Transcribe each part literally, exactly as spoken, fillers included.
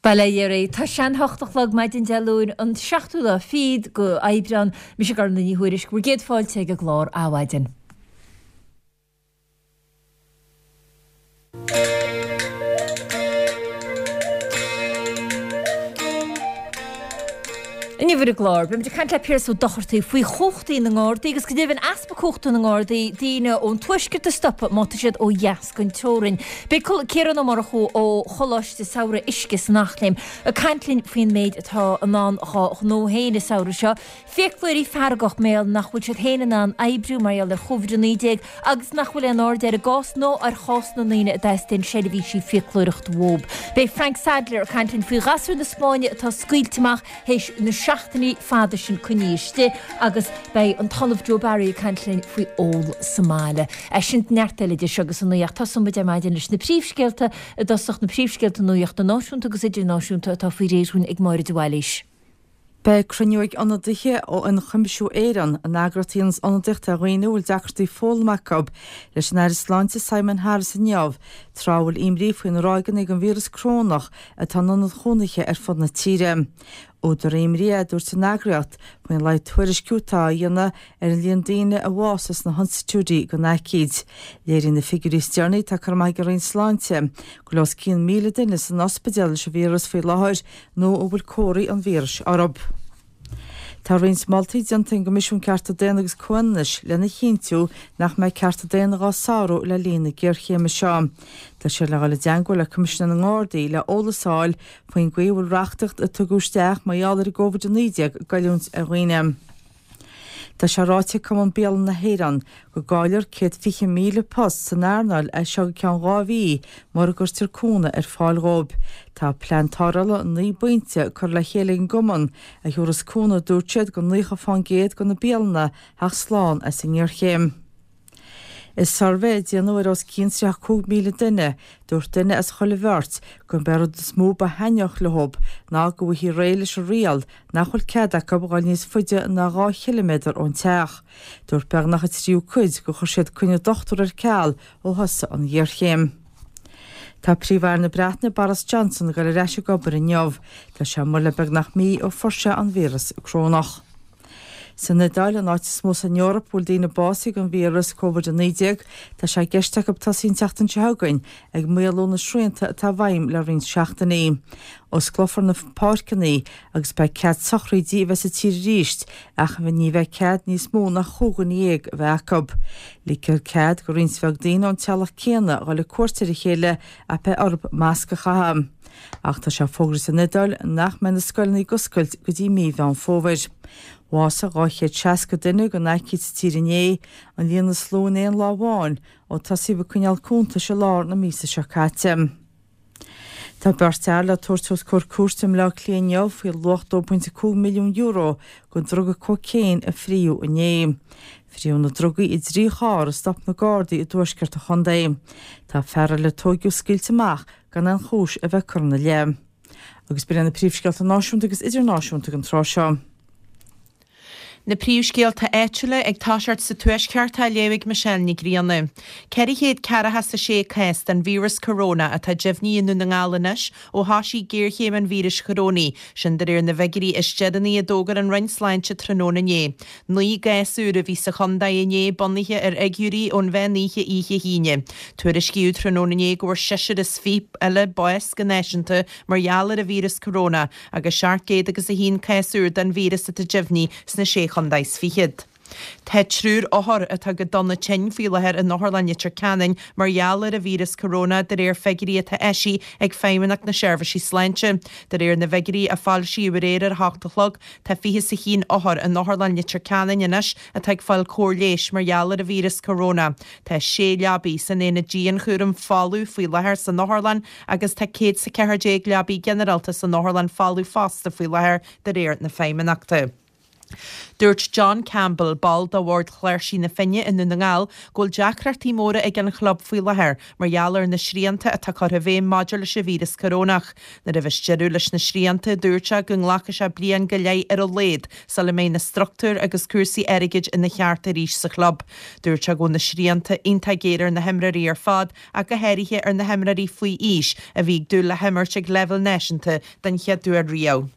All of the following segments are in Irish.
Bail ó Dhia oraibh. Tá sé an hocht a chlog maidin Dé Luain, an seachtú lá fichead go Aibreán. Mise Gormfhlaith Ní Thuairisg, bhur gcéad fáilte ag an gclár Adhmhaidin. Inniu ar an gclár, beimid ag caint le Piaras Ó Dochartaigh faoi chumhachtaí na nGardaí agus go deimhin easpa cumhachta na nGardaí daoine ón tuaisceart a stopadh má tá siad ó dheas den teorainn. Beidh Ciarán Ó Murchú ó Choláiste Samhraidh Uisce san Eachléim ag caint linn faoin méid atá i ndán dhá ghnó féin an samhradh seo. Fiaclóirí feargach mar gheall nach bhfuil siad féin in ann oibriú mar gheall ar Chóivid a naoi déag agus nach bhfuil aon aird ar a gcás ná ar chás na ndaoine a dteastaíonn seirbhísí fiaclóireachta uathu. Beidh Frank Sadlier ag caint linn faoi ghasúir na Spáinne atá scaoilte amach théis na seachtainí fada sin coinnithe istigh agus beidh an tOllamh Joe Barry ag caint linn faoi ól sa mbaile. Sin neart eile idir seo agus a naoi ach tosóidh muid ar maidin leis na príomhscéalta i dtosach, na príomhscéalta nuachta náisiúnta agus idirnáisiúnta atá faoi réir dhúinn ag Máire de Bhailís. Beidh cruinniú ag ionadaithe ó Ionchuimsiú Éireann, an eagraíocht a dhéananns ionadaíocht ar dhaoine a bhfuil deacrachtaí foghlama acu, leis an Aire Sláinte Simon Harris inniu, tráth a bhfuil imní faoi na ráigeanna den víreas corónach atá in ionaid chónaithe ar fud na tíre. Údar imní é, a dúirt an eagraíocht, faoin laghad tuairisciú atá á dhéanamh ar an líon daoine a bhásaigh sna hinstitiúidí den aicíd. Léiríonn na figiúirí is deireanaí atá curtha amach ag an Roinn Sláinte go bhfuil os cionn míle duine san ospidéal leis an víreas faoi láthair nó a bhfuil comharthaí an víris orthu. Tá roinnt moltaí déanta ag an gCoimisiún Cearta Daonna agus Comhionannais lena chinntiú nach mbeidh cearta daonna dhá sárú le linn na géarchéime seo. Tá siad le dhul i dteangmháil le Coimisinéir na nGardaí le eolas a fháil faoin gcaoi a bhfuil reachtaíocht a tugadh isteach mar gheall ar an gCóivid a naoi déag ag goilliúint ar dhaoine. Tá sé ráite ag Cumann Bialann na hÉireann go gcaillfear céad fiche míle post san earnáil as seo go ceann dhá mhí mura gcuirtear cúnamh ar fáil dhóibh. Tá plean tarrthála naoi bpointe curtha le chéile ag an gcumann a thabharfas cúnamh, a dúirt siad, go naocha fán gcéad de na bialanna theacht slán as an ngéarchéim. I suirbhé a déanadh ar os cionn tríocha cúig míle duine, dúirt duine as chuile bheirt gurb é rud is mó ba thaitneamhach leo ná go bhfaighfí réidh leis an riail nach bhfuil cead acu dhul níos faide ná dhá chiliméadar ón teach. Dúirt beagnach an tríú cuid gur chuir siad coinne dochtúra ar ceal ó thosaigh an ghéarchéim. Tá Príomh-Aire na Breataine Boris Johnson ag dul ar ais ag obair inniu. Tá sé amuigh le beagnach mí ó fuair sé an víreas corónach. San Iodáil, an áit is mó san Eoraip a bhfuil daoine básaithe den víreas Covid a naoi déag, tá sé i gceist acu tosaí an tseachtain seo chugainn ag maolú na srianta atá i bhfeidhm le roinnt seachtainí. Osclófar na páirceanna agus beidh cead sochraidí a bheith sa tír arís ach ní bheidh cead níos mó ná chúig dhuine dhéag a bheith acu. Ligfear cead go roinnt bheag daoine ón teaghlach céanna dhul ag cuairt ar a chéile ach beidh orthu masc a chaitheamh. Ach tá sé fógartha san Iodáil nach mbeidh na scoileanna ag oscailt go dtí mí Mheán Fómhair. Bhásaigh dhá chéad seasca duine den aicíd sa tír inné, an líon is lú in aon lá amháin ó tosaíodh ag coinneáil cuntais i lár na míosa seo caite. Tá beirt fhear le tabhairt os comhair cúirte i mBleá Cliath inniu faoi luach dó pointe cúig milliún euro den druga cócaon a fríodh inné. Fríodh na drugaí i dtrí charr a stop na Gardaí i dtuaisceart an chontae. Tá fear eile a tóigeadh scaoilte amach gan aon chúis a bheith curtha ina leith. Agus b'in iad na príomhscéalta náisiúnta agus idirnáisiúnta don tráth seo. Na príomhscéalta áitiúla ag toiseacht sa Tuaisceart á léamh ag Michelle Ní Ghrianna. Ceithre chéad ceathracha 's a sé cás den víreas corona atá deimhnithe i nDún na nGall anois ó thoisigh géarchéim an víris chorónaigh, sin de réir na bhfigiúirí is deireanaí a d'fhógair an Roinn Sláinte tráthnóna inné. Naoi gcás úr a bhí sa chontae inné bunaithe ar fhigiúirí ón mheán oíche oíche hAoine. Tuairiscíodh tráthnóna inné go bhfuair seisear is fiche eile bás go náisiúnta mar gheall ar an víreas corona agus seacht gcéad agus a haon cás úr den víreas atá deimhnithe sna sé chontae is fichead. Tá triúr othar atá go dona tinn faoi láthair in Otharlann Leitir Ceanainn mar gheall ar an víreas corona de réir figiúirí atá eisithe ag Feidhmeannacht na Seirbhísí Sláinte. De réir na bhfigiúirí a foilsíodh aréir ar a hocht a chlog, tá fiche is a haon othar in Otharlann Leitir Ceanainn anois atá ag fáil cóir leighis mar gheall ar an víreas corona. Tá sé leabaidh san aonad dianchúraim folamh faoi láthair san otharlann agus tá céad is a ceathair déag leabaidh ginearálta san otharlann folamh fosta faoi láthair de réir na Feidhmeannachta. Dúirt John Campbell, ball de bhord Chláirsí na Finne i nDún na nGall, go bhfuil deacrachtaí móra ag an chlub faoi láthair mar gheall ar na srianta atá curtha i bhfeidhm maidir leis an víreas corónach. Nuair a bheas deireadh leis na srianta, dúirt sé go nglacfaidh sé bliain go leith ar a laghad sula mbeidh na struchtúir agus cúrsaí airgid ina cheart arís sa chlub. Dúirt sé go bhfuil na srianta iontach géar ar na himreoirí ar fad ach go háirithe ar na himreoirí faoi aois a bhí ag dúil le himirt ag leibhéal náisiúnta den chéad uair riamh.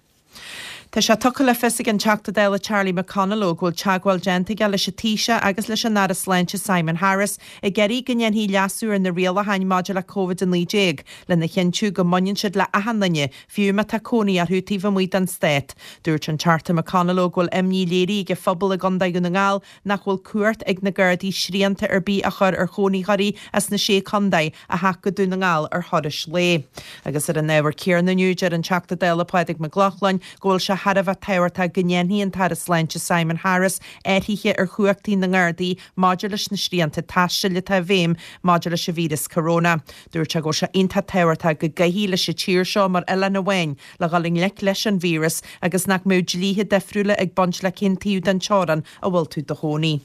Tá sé tugtha le fios ag an Teachta Dála Charlie McConalogue go bhfuil teagmháil déanta aige leis an Taoiseach agus leis an Aire Sláinte Simon Harris ag iarraidh go ndéanfaí leasú ar na rialacháin maidir le Covid a naoi déag lena chinntiú go mbaineann siad le achan duine, fiú má tá cónaí orthu taobh amuigh den stát. Dúirt an Teachta McConalogue go bhfuil imní léirithe ag an phobal i gContae Dhún na nGall nach bhfuil cumhacht ag na Gardaí srianta ar bith a chur ar chónaitheoirí as na Sé Chontae a theacht go Dún na nGall ar thurais lae. Agus ar an ábhar céanna inniu, deir an Teachta Dála Pádraig Mac Lochlainn go bhfuil sé thar a bheith tábhachtach go ndéanfaidh an tAire Sláinte Simon Harris athruithe ar chumhachtaí na nGardaí maidir leis na srianta taistil atá i bhfeidhm maidir leis an víreas corona. Dúirt sé go bhfuil sé iontach tábhachtach go gcaithfí leis an tír seo mar oileán amháin le dhul i ngleic leis an víreas agus nach mbeadh dlíthe difriúla ag baint le cén taobh den teorainn a bhfuil tú i do chónaí.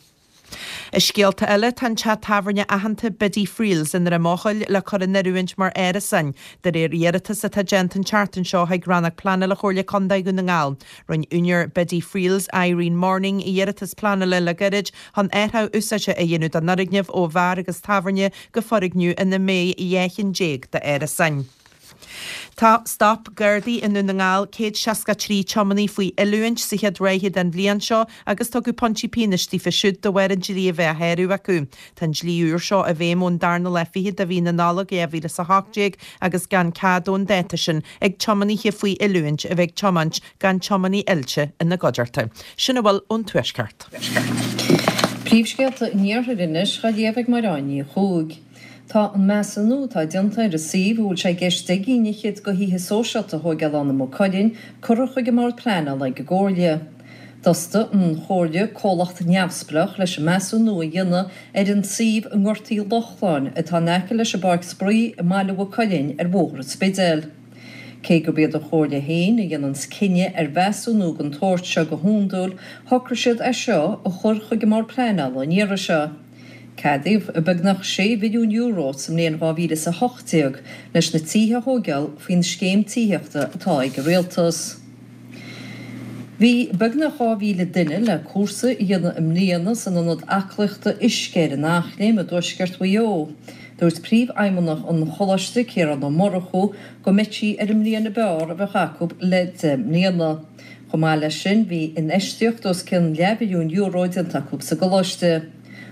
I scéalta eile, tá an teach tábhairne aitheanta Biddy Friels i nDroim Eochaill le cur in oiriúint mar árasáin, de réir iarratas atá déanta an tseachtain seo chuig Rannóg Pleanála Chomhairle Contae Dhún na nGall. Rinne úinéir Biddy Friels, Irene Morning, iarratas pleanála le gairid chun athrú úsáide a dhéanamh don fhoirgneamh ó bheár agus tábhairne go foirgneamh ina mbeidh dhá cheann déag d'árasáin. Tá Stop Gardaí i nDún na nGall céad seasca trí tiománaí faoi oiliúint sa chéad ráithe den bhliain seo agus tugadh pointí pionóis daofa siúd de bharr an dlí a bheith á shárú acu. Tá an dlí úr seo i bhfeidhm ón darna lá fichead de mhí na Nollag dhá mhíle is a hocht déag agus gan cead ón dáta sin ag tiománaithe faoi oiliúint a bheith ag tiomáint gan tiománaí oilte ina gcuideachta. Sin a bhfuil ón Tuaisceart. Príomhscéalta an Iarthair anois á léamh ag Máireáin Ní Chuaig. Tá an measúnú atá déanta ar an suíomh a bhfuil sé i gceist deich gcinn fhichead de thithe sóisialta a thóigeáil ann i Maigh Cuilinn curtha chuig an mBord Pleanála ag an gComhairle. D'fhostaigh an Chomhairle comhlacht neamhspleách leis an measúnú a dhéanamh ar an suíomh i nGort Uí Lochlainn atá in aice leis an bPáirc Spraoi i mbaile Mhaigh Cuilinn ar Bhóthar an Spidéil. Cé gurb iad an Chomhairle féin a dhéananns cinneadh ar mheasúnú den tsórt seo go hiondúil, shocraigh siad é seo a chur chuig an mBord Pleanála an iarraidh seo. Ceadaíodh beagnach sé mhilliún euro sa mbliain dhá mhíle is a hocht déag leis na tithe a thóigeáil faoin scéim tithíochta atá ag an Rialtas. Bhí beagnach dhá mhíle duine le cúrsa a dhéanamh i mbliana san ionad aclaíochta Uisce ar an Eachléim i dtuaisceart Mhaigh Eo. Dúirt Príomhfheidhmeannach an Choláiste, Ciarán Ó Murchú, go mbeidh sí ar an mbliain ab fhearr a bheadh acu le deich mbliana. Chomh maith leis sin, bhí infheistíocht os cionn leathmhilliún euro déanta acu sa gcoláiste.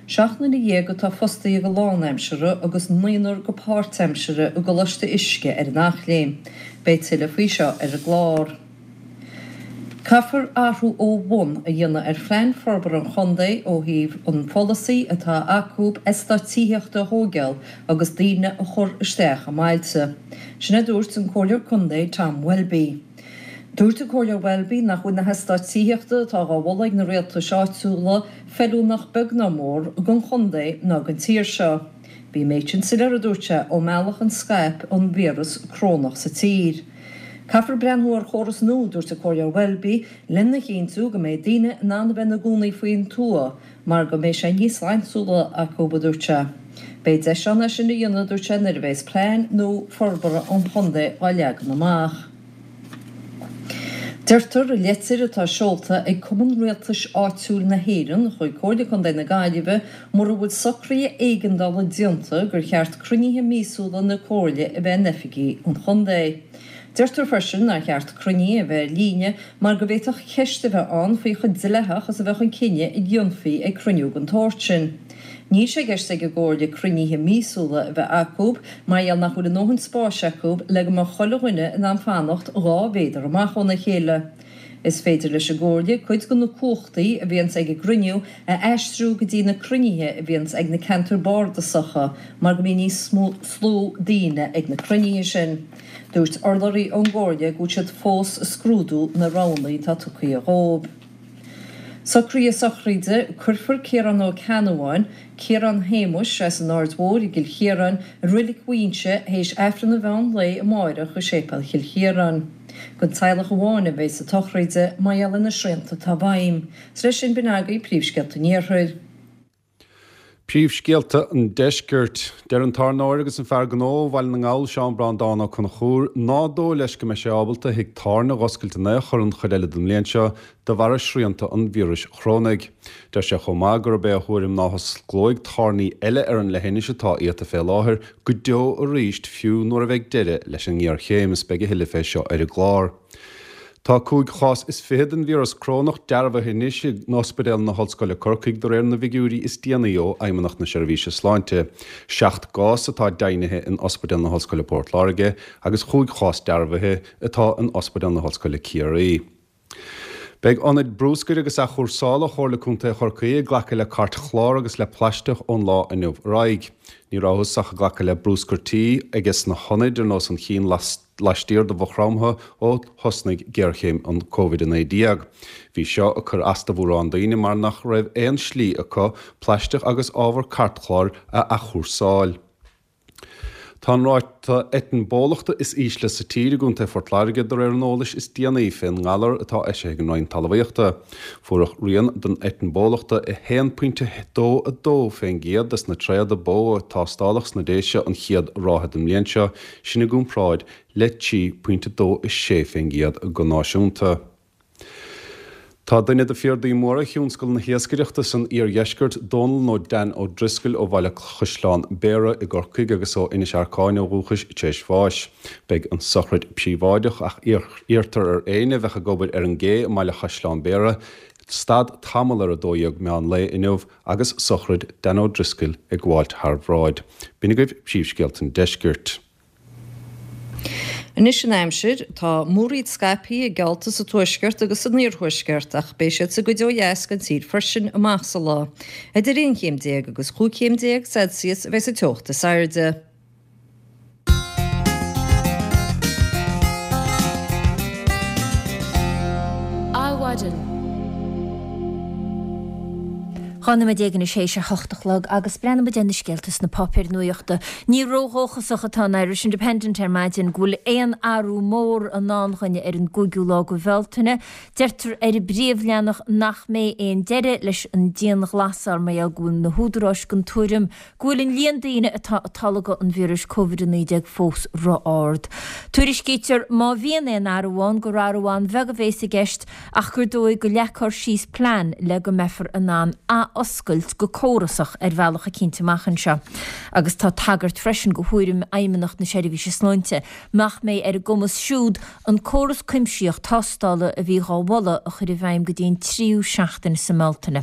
Seacht nduine dhéag atá fostaithe go lánaimseartha agus naonúr go páirtaimseartha i gColáiste Uisce ar an Eachléim. Beidh tuilleadh faoi seo ar an gclár. Caithfear athrú ó bhun a dhéanamh ar phlean forbartha an chontae ó thaobh an pholasaí atá acu eastáit tithíochta a thóigeáil agus daoine a chur isteach i mbailte. Sin a dúirt an Comhairleoir Contae Tom Welby. Dúirt an Comhairleoir Welby nach bhfuil na heastáit tithíochta atá á mholadh ag na rialtais áitiúla feiliúnach beag ná mór don chontae ná don tír seo. Bhí an méid sin soiléir, a dúirt sé, ón mbealach a scaip an víreas corónach sa tír. Caithfear breathnú ar chóras nua, dúirt an Comhairleoir Welby, lena chinntiú go mbeidh daoine in ann a bheith ina gcónaí faoin tuath mar go mbeidh sé níos slaintiúla acu, a dúirt sé. Beidh deis ann é sin a dhéanamh, a dúirt sé, nuair a bheas plean nua forbartha an chontae á leagan amach. Deirtear i leitir atá seolta ag Cumann Rialtais Áitiúil na hÉireann chuig Comhairle Contae na Gaillimhe mura bhfuil socruithe éigeandála déanta gur cheart cruinnithe míosúla na Comhairle a bheith in oifigí an chontae. Deirtear freisin nár cheart cruinnithe a bheith ar líne mar go bhféadfadh ceist a bheith ann faoi chomh dleathach is a bheadh an cinneadh a dhéanfaí ag cruinniú den tsórt sin. Níl sé i gceist ag an gComhairle cruinnithe míosúla a bheith acu mar gheall nach bhfuil a ndóthain spáis acu le go mbeadh chuile dhuine in ann fanacht dhá mhéadar amach óna chéile. Is féidir leis an gComhairle cuid de na cumhachtaí a bhíonns ag an gcruinniú a aistriú go dtí na cruinnithe a bhíonns ag na ceantair bardasacha mar go mbíonn níos mó daoine ag na cruinnithe sin. Dúirt urlabhraí ón gComhairle go bhfuil siad fós ag scrúdú na roghanna atá tugtha dhóibh. Socruithe sochraide, Cuirfear Ciarán Ó Ceannabháin, Ciarán Shéamuis, as an Aird Mhóir i gCill Chiaráin, i Reilig Mhaínse théis Aifreann an mheán lae amáireach i Séipéal Chill Chiaráin. Don teaghlach amháin a bheas na sochraide mar gheall ar na srianta atá i bhfeidhm. Is leis sin b'in agaibh príomhscéalta an Iarthair. Príomhscéalta an Deiscirt. Deir an tábhairneoir agus an fear gnó ó Bhaile na nGall Seán Breandán Ó Conchúir ná dóigh leis go mbeidh sé ábalta a thigh tábhairne a dh'oscailt in aon chor an chuid eile den mbliain seo de bharra srianta an víris chorónaigh. Deir sé chomh maith gurb é a thuairim ná hosclóidh tábhairní eile ar an leithinis atá iata fé láthair go deo arís fiú nuair a bheidh deireadh leis an ngéarchéim is beidh a thuilleadh fé seo ar an gclár. Tá cúig chás is fiche den víreas corónach dearbhaithe anois in Ospidéal na hOllscoile Corcaigh de réir na bhfigiúirí is déanaí ó Fheidhmeannacht na Seirbhíse Sláinte. Seacht gcás atá deimhnithe in Ospidéal na hOllscoile Port Láirge agus chúig chás dearbhaithe atá in Ospidéal na hOllscoile Ciarraí. Beidh ionaid brúscair agus athchúrsála Chomhairle Contae Chorcaí ag glacadh le cairtchlár agus le plaisteach ón lá inniu ar aghaidh. Ní rabhthas ach ag glacadh le brúscar tí ages na hionaid ar nós an chinn laistiar de Mhaigh Chromtha ó thosnaigh géarchéim an Covid a naoi déag. Bhí seo ag cur as do mhórán daoine mar nach raibh aon slí acu plaisteach agus ábhar cairtchláir a athchúrsáil. Tá an ráta eitinn bólachta is ísle sa tír i gContae Phort Láirge de réir an eolais is déanaí fén ngalar atá eisithe ag an Roinn Talmhaíochta. Fuaireadh rian den eitinn bólachta i haon pointe dó a dó fén gcéad des na tréada bó a tástáladh sna Déise an chéad ráithe den mbliain seo, sin i gcomparáid le trí pointe dó a sé fén gcéad go náisiúnta. Tá duine de phiardaí móra thionscal na hiascaireachta san iardheisceart, Dónal nó Dan Ó Drisceoil ó Bhaile Chaisleán Béarra i gCorcaigh agus ó Inis Arcáin ó dhúchas, tar éis bháis. Beidh an sochraid príobháideach ach iarrtar ar éinne a bheadh ag obair ar an gcé i mBaile Chaisleán Béarra stad tamall ar a dó dhéag meán lae inniu agus sochraid Dan Ó Drisceoil ag gabháilt thar bhráid. B'in agaibh príomhscéalta an deiscirt. Anois an aimsir, tá múraíl scaipthe geallta sa tuaisceart agus san iarthuaisceart ach beidh siad sa gcuid ó dheas den tír freisin amach sa lá. Idir aon chéim déag agus chúig chéim déag Celsius a bheidh sa teocht is airde. Adhmhaidin. Dhá nóiméad déag anois théis a hocht a chlog agus breathnóidh muid ar na scéalta sna páipéir nuachta. Ní ródhóchasach atá an Irish Independent ar maidin go bhfuil aon athrú mór i ndán dhúinne ar an gcúigiú lá de Bhealtaine. Deirtear ar an bpríomhleathanach nach mbeidh aon deireadh leis an dianghlasáil mar gheall go bhfuil na húdaráis den tuairim go bhfuil an líon daoine atá ag tolgadh an víris Covid a naoi déag fós ró-ard. Tuairiscítear má bhíonn aon athrú ann gur athrú an-bheag a bhéas i gceist ach gur dóigh go leagfar síos plean le go mbeifear in ann ath-oscailt go córasach ar bhealach eicínt amach anseo. Agus tá tagairt freisin go thuairim Fheidhmeannacht na Seirbhíse Sláinte nach mbeidh ar a gcumas siúd an córas cuimsitheach tástála a bhí dhá mholadh a chur i bhfeidhm go dtí an tríú seachtain sa mBealtaine.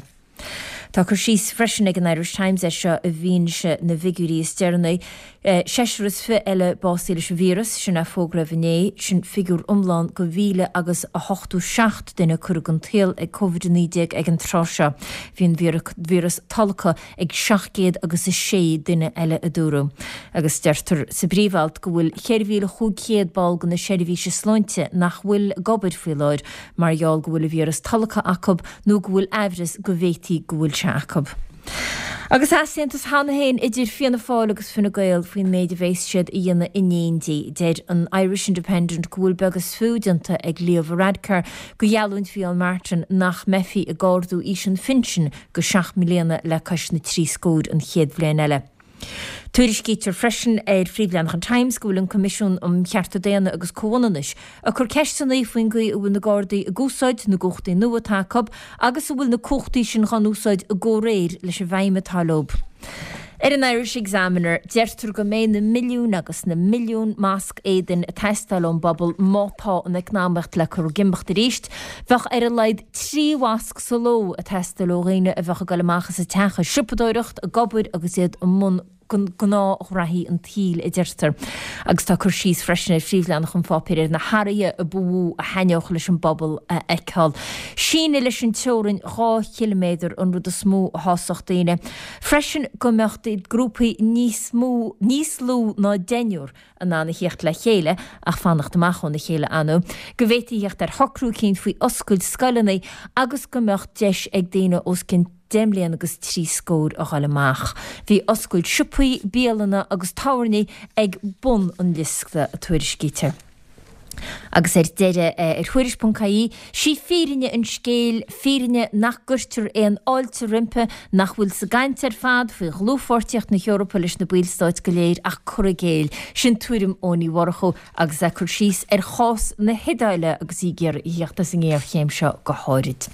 Tá cur síos freisin ag an Irish Times air seo i bhfianaise na bhfigiúirí is deireanaí. Seisear is fiche eile básaithe leis an víreas, sin a fógraíodh inné, sin figiúr iomlán de mhíle agus a hochtó seacht duine curtha den tsaol ag Covid a naoi déag ag an tráth seo. Bhí an víreas tolgtha ag seacht gcéad agus a sé duine eile a dúradh. Agus deirtear sa bpríomh-alt go bhfuil ceithre mhíle chúig chéad ball de na seirbhíse sláinte nach bhfuil ag obair faoi láthair mar gheall go bhfuil an víreas tolgtha acu nó go bhfuil aimhreas go bhféadfaí go bhfuil sé acu. Agus easaontas cheana féin idir Fianna Fáil agus Fine Gael faoin méid a bheas siad a dhéanamh in éindí. Deir an Irish Independent go bhfuil beag is fiú déanta ag Leo Varadkar de gheallúint Mhicheál Martin nach mbeifí ag ardú aois an phinsin go seacht mbliana le cois na trí scóir an chéad bhliain eile. Tuairiscítear freisin ar phríomhleathanach an Times go bhfuil an Coimisiún um Chearta Daonna agus Comhionannais ag cur ceisteanna faoin gcaoi a bhfuil na Gardaí ag úsáid na gcumhachtaí nua atá acu agus an bhfuil na cumhachtaí sin dhá n-úsáid i gcomhréir leis an bhfeidhm atá leo. Ar an Irish Examiner, deirtear go mbeidh na milliúin agus na milliúin masc éadain ag teastáil ón bpobal má tá an eacnamaíocht le cur ag imeacht arís. Bheadh ar a laghad trí mhasc sa ló ag teastáil ó dhaoine a bheadh ag dul amach as an teach ag siopadóireacht, ag obair agus iad i mbun gnáthghraithí an tsaoil, a deirtear. Agus tá cur síos freisin ar phríomhleathanach an pháipéir ar na hathruithe a ba mhó a thaitneodh leis an bpobal a fheiceáil. Síneadh leis an teorainn dhá chiliméadar an rud is mó a shásódh daoine. Freisin go mbeadh grúpaí níos mó, níos lú ná deichniúr in ann a thíocht le chéile, ach fanacht amach óna chéile, ar ndóigh, go bhféadfaí theacht ar shocrú eicínt faoi oscailt scoileanna agus go mbeadh deis ag daoine os cionn deich mbliana agus trí scór a dhul amach. Bhí oscailt siopaí, bialanna agus tábhairní ag bun an liosta, a tuairiscítear. Agus ar deireadh ar Thuairisc ponc ie, sí fírinne an scéil, fírinne nach gcuirtear aon fháilte roimpi, nach bhfuil sa gcaint ar fad faoi dhlúthpháirtíocht na hEorpa leis na ballstáit go léir ach cur i gcéill. Sin tuairim Eoin Uí Mhurchú agus é ag cur síos ar chás na hIodáile agus í ag iarraidh a thíocht as an ngéarchéim seo go háirid.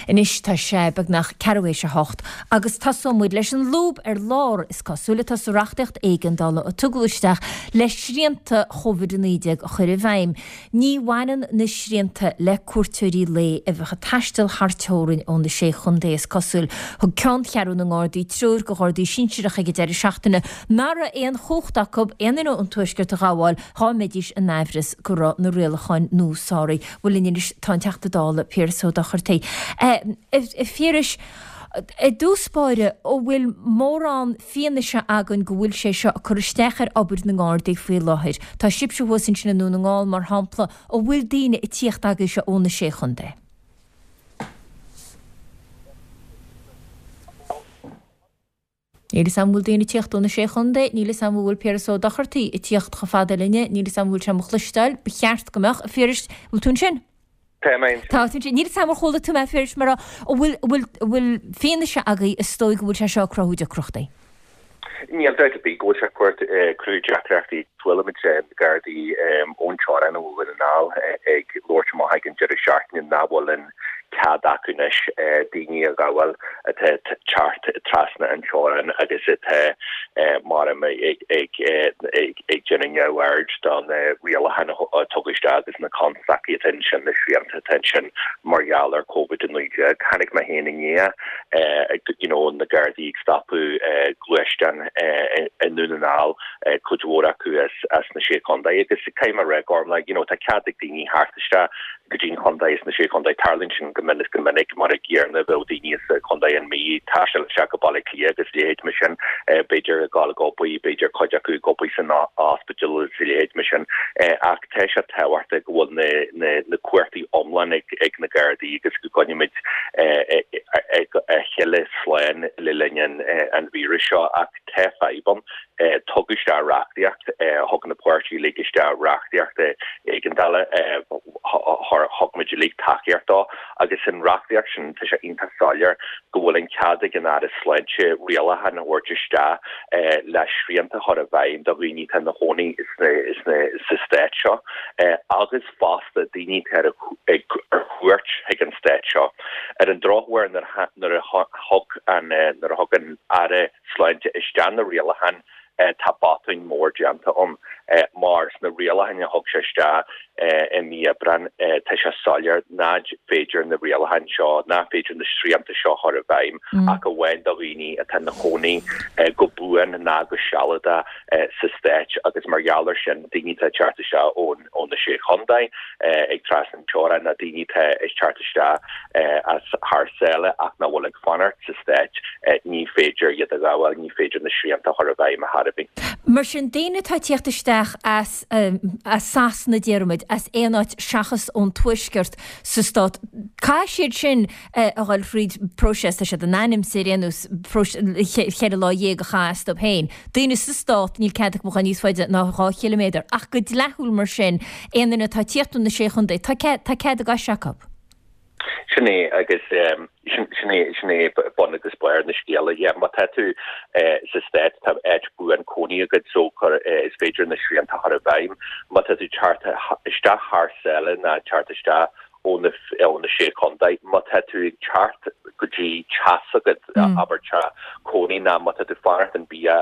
Anois tá sé beagnach ceathrú théis a hocht agus tosóidh muid leis an lúb ar lár, is cosúil, atá sa reachtaíocht éigeandála a tugadh isteach le srianta Chóivid a naoi déag a chur i bhfeidhm. Ní bhaineann na srianta le cuairteoirí lae a bheadh ag taisteal thar teorainn ó na Sé Chontae, is cosúil. Thug Ceanncheathrú na nGardaí treoir do Ghardaí sinsearacha ag an deireadh seachtaine nach raibh aon chumhacht acu aon duine ón Tuaisceart a ghabháil dhá mbeidís in aimhreas go raibh na rialacháin nua sáraithe. Bhuel linn anois tá an Teachta Dála Piaras Ó Dochartaigh. A Phiarais, i dtús báire, an bhfuil mórán fianaise againn go bhfuil sé seo ag cur isteach ar obair na nGardaí faoi láthair? Tá sibhse thuas ansin i nDún na nGall, mar shampla, an bhfuil daoine ag tíocht agaibhse ó na Sé Chontae? Níl 'fhios a'm an bhfuil daoine ag tíocht ó na Sé Chontae, níl 'fhios a'm an bhfuil Piaras Ó Dochartaigh ag tíocht chomh fada linne, níl 'fhios a'm an bhfuil sé mo chloisteáil, ba cheart go mbeadh, a Phiarais, an bhfuil tú ansin? Tá mé ansin. Tá tú ansin. Níl 'fhios a'm ar chuala tú mé, a Phiarais, mar an bhfuil, bhfuil, bhfuil fianaise agaibh is dóigh go bhfuil sé seo ag cruthú deacrachtaí? Níl dabht ar bith go bhfuil sé ag cruthú deacrachtaí. Chuala muid na Gardaí ón teorainn ó Dhún na nGall ag labhairt amach ag an deireadh seachtaine nach bhfuil an cead acu anois daoine a ghabháil atá ag teacht trasna an teorainn agus atá mar ag déanamh neamhaird do na rialacháin a tugadh isteach agus na constaicí atá ansin, na srianta atá ansin mar gheall ar Covid a naoi déag. Chonaic mé féin inné you know na Gardaí ag stopadh gluaisteán i nDún na nGall, cuid mhór acu as as na Sé Chontae agus caithfidh mé a rá Gormlaith, you know tá cead ag daoine theacht isteach go dtí an chontae as na Sé Chontae, tarlaíonn sin go minic go minic mar an gcéanna bheadh daoine as Contae an Mhí ag taisteal isteach go Baile Átha Cliath agus a leithéid mar sin, b'fhéidir ag dul ag obair, b'fhéidir cuid acu ag obair san ospidéal agus a leithéid mar sin ach tá sé tábhachtach go bhfuil na na na cumhachtaí iomlán ag ag na Gardaí agus go gcoinnímid a chéile slán le linn an an víris seo ach tá fadhb ann. Tugadh isteach reachtaíocht, thug na páirtithe uilig isteach reachtaíocht éigeandála, thug muid uilig tacaíocht dó agus san reachtaíocht sin tá sé iontach soiléir go bhfuil an cead ag an Aire Sláinte rialacháin a thabhairt isteach le srianta a chur i bhfeidhm do dhaoine atá ina chónaí sa stát seo agus fosta daoine atá ar cuairt chuig an stát seo. Ar an drochuair nuair a thug an Aire Sláinte isteach na rialacháin, tá botún mór déanta ann mar sna rialacháin a thug sé isteach i mí Aibreáin tá sé soiléir nach féidir na rialacháin seo, nach féidir na srianta seo a chur i bhfeidhm ach amháin do dhaoine atá ina chónaí go buan ná go sealadach sa stát agus mar gheall ar sin daoine atá ag teacht isteach ón ó na Sé Chontae ag trasna an teorainn ná daoine atá ag teacht isteach as thar sáile ach nach bhfuil ag fanacht sa stát, ní féidir iad a ghabháil, ní féidir na srianta a chur i bhfeidhm ar chor ar bith. Mar sin, daoine atá ag tíocht isteach as as Sasana, déarfaimid, as aon áit seachas ón Tuaisceart sa stát, caithfidh siad sin a dhul thríd próiseas, tá siad in ainm is ar aon nós cheithre lá dhéag a chaitheamh astu féin. Daoine sa stát, níl cead acu a dhul níos faide ná dhá chiliméadar, ach go dleathúil mar sin, aon duine atá ag tíocht ó na Sé Chontae, tá cead, tá cead a gcoise acu. Sin é agus sin é, sin é bun agus barr na scéala. Yeah, má tá tú sa stát, tá áit buan cónaí agat so is féidir na srianta a chur i bhfeidhm. Má tá tú ag teacht isteach thar sáile ná teacht isteach ó na ó na Sé Chontae, má tá tú ag teacht go dtí teach s'agat, abair teach cónaí ná má tá tú ag fanacht in bia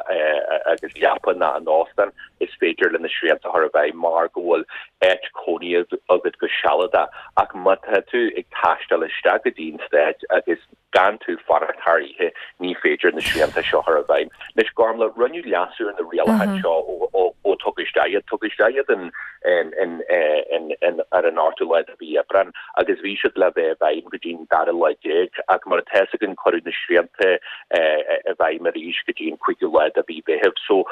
agus leapa ná in óstán, is féidir leis na srianta a chur i bhfeidhm mar go bhfuil áit cónaí agat go sealadach. Ach má tá tú ag taisteal isteach go dtí an stát agus gan tú fanacht thar oíche, ní féidir na srianta seo a chur i bhfeidhm. Anois, Gormlaith, rinneadh leasú ar na rialacháin seo ó tugadh isteach iad. Tugadh isteach iad ar an ochtú lá de mhí Aibreán agus bhí siad le bheith i bhfeidhm go dtí an dara lá déag ach mar atá fhios againn cuireadh na srianta i bhfeidhm arís go dtí an cúigiú lá de mhí Mheithimh. So,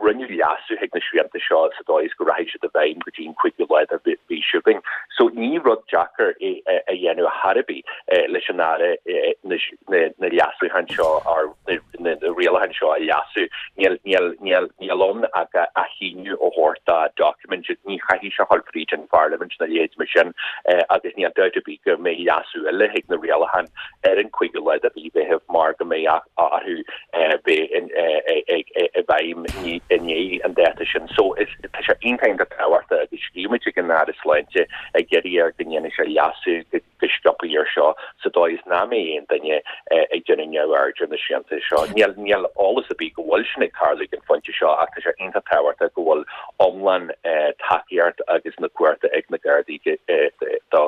rinneadh leasú chuig na srianta seo sa dóigh is go rachaidh siad i bhfeidhm go dtí an cúigiú lá de mhí seo chugainn. So, ní rud deacair é a dhéanamh ar chor ar bith. leis an Aire na leasúcháin seo, na rialacháin seo a leasú. Níl níl níl níl ann ach athshíniú a thabhairt do document, ní chaithfidh sé a dhul fríd an pharlaimint nó a leithéid mar sin agus níl dabht ar bith go mbeidh leasú eile chuig na rialacháin ar an cúigiú lá de mhí Mheithimh mar go mbeidh orthu bheith i bhfeidhm i ndiaidh an dáta sin. So is tá sé iontach iontach tábhachtach agus scríobh muid chuig an Aire Sláinte ag iarraidh air go ndéanfaidh sé leasú go go sciobtha air seo sa dóigh is nach mbeidh aon duine ag déanamh neamhaird ar na srianta seo. Níl níl eolas ar bith go bhfuil sin ag tarlú ag an phointe seo ach tá sé iontach tábhachtach go bhfuil iomlán tacaíocht agus na cumhachta ag na Gardaí do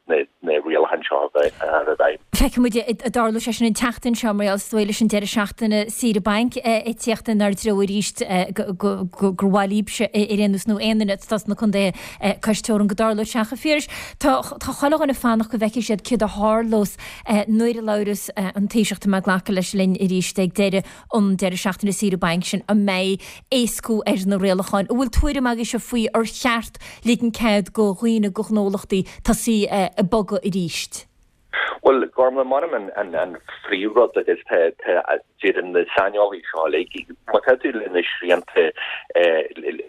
na na rialacháin seo a bheith i bhfeidhm. Feicfidh muid an dtarlóidh sé sin an tseachtain seo mar gheall is dóigh leis an deireadh seachtaine saoire bainc ag tíocht inár dtreo arís gur mhaith libhse ar aon nós nó aon duine atá sna contaetha cois teorann go dtarlóidh sé. Ach a Phiarais, tá chuile dhuine ag fanacht go bhfeicfidh siad céard a tharlós nuair a labhras an Taoiseach, tá mé ag glacadh leis, linn arís ag deireadh an deireadh seachtaine saoire bainc sin, an mbeidh éascú ar na rialacháin. An bhfuil tuairim agaibhse faoi ar cheart ligean cead go dhaoine, go ghnólachtaí tosaí ag bogadh arís? Bhuel, Gormlaith, m'anam an an phríomhrud agus tá tá deireann na saineolaithe seo uilig, má tá tú le na srianta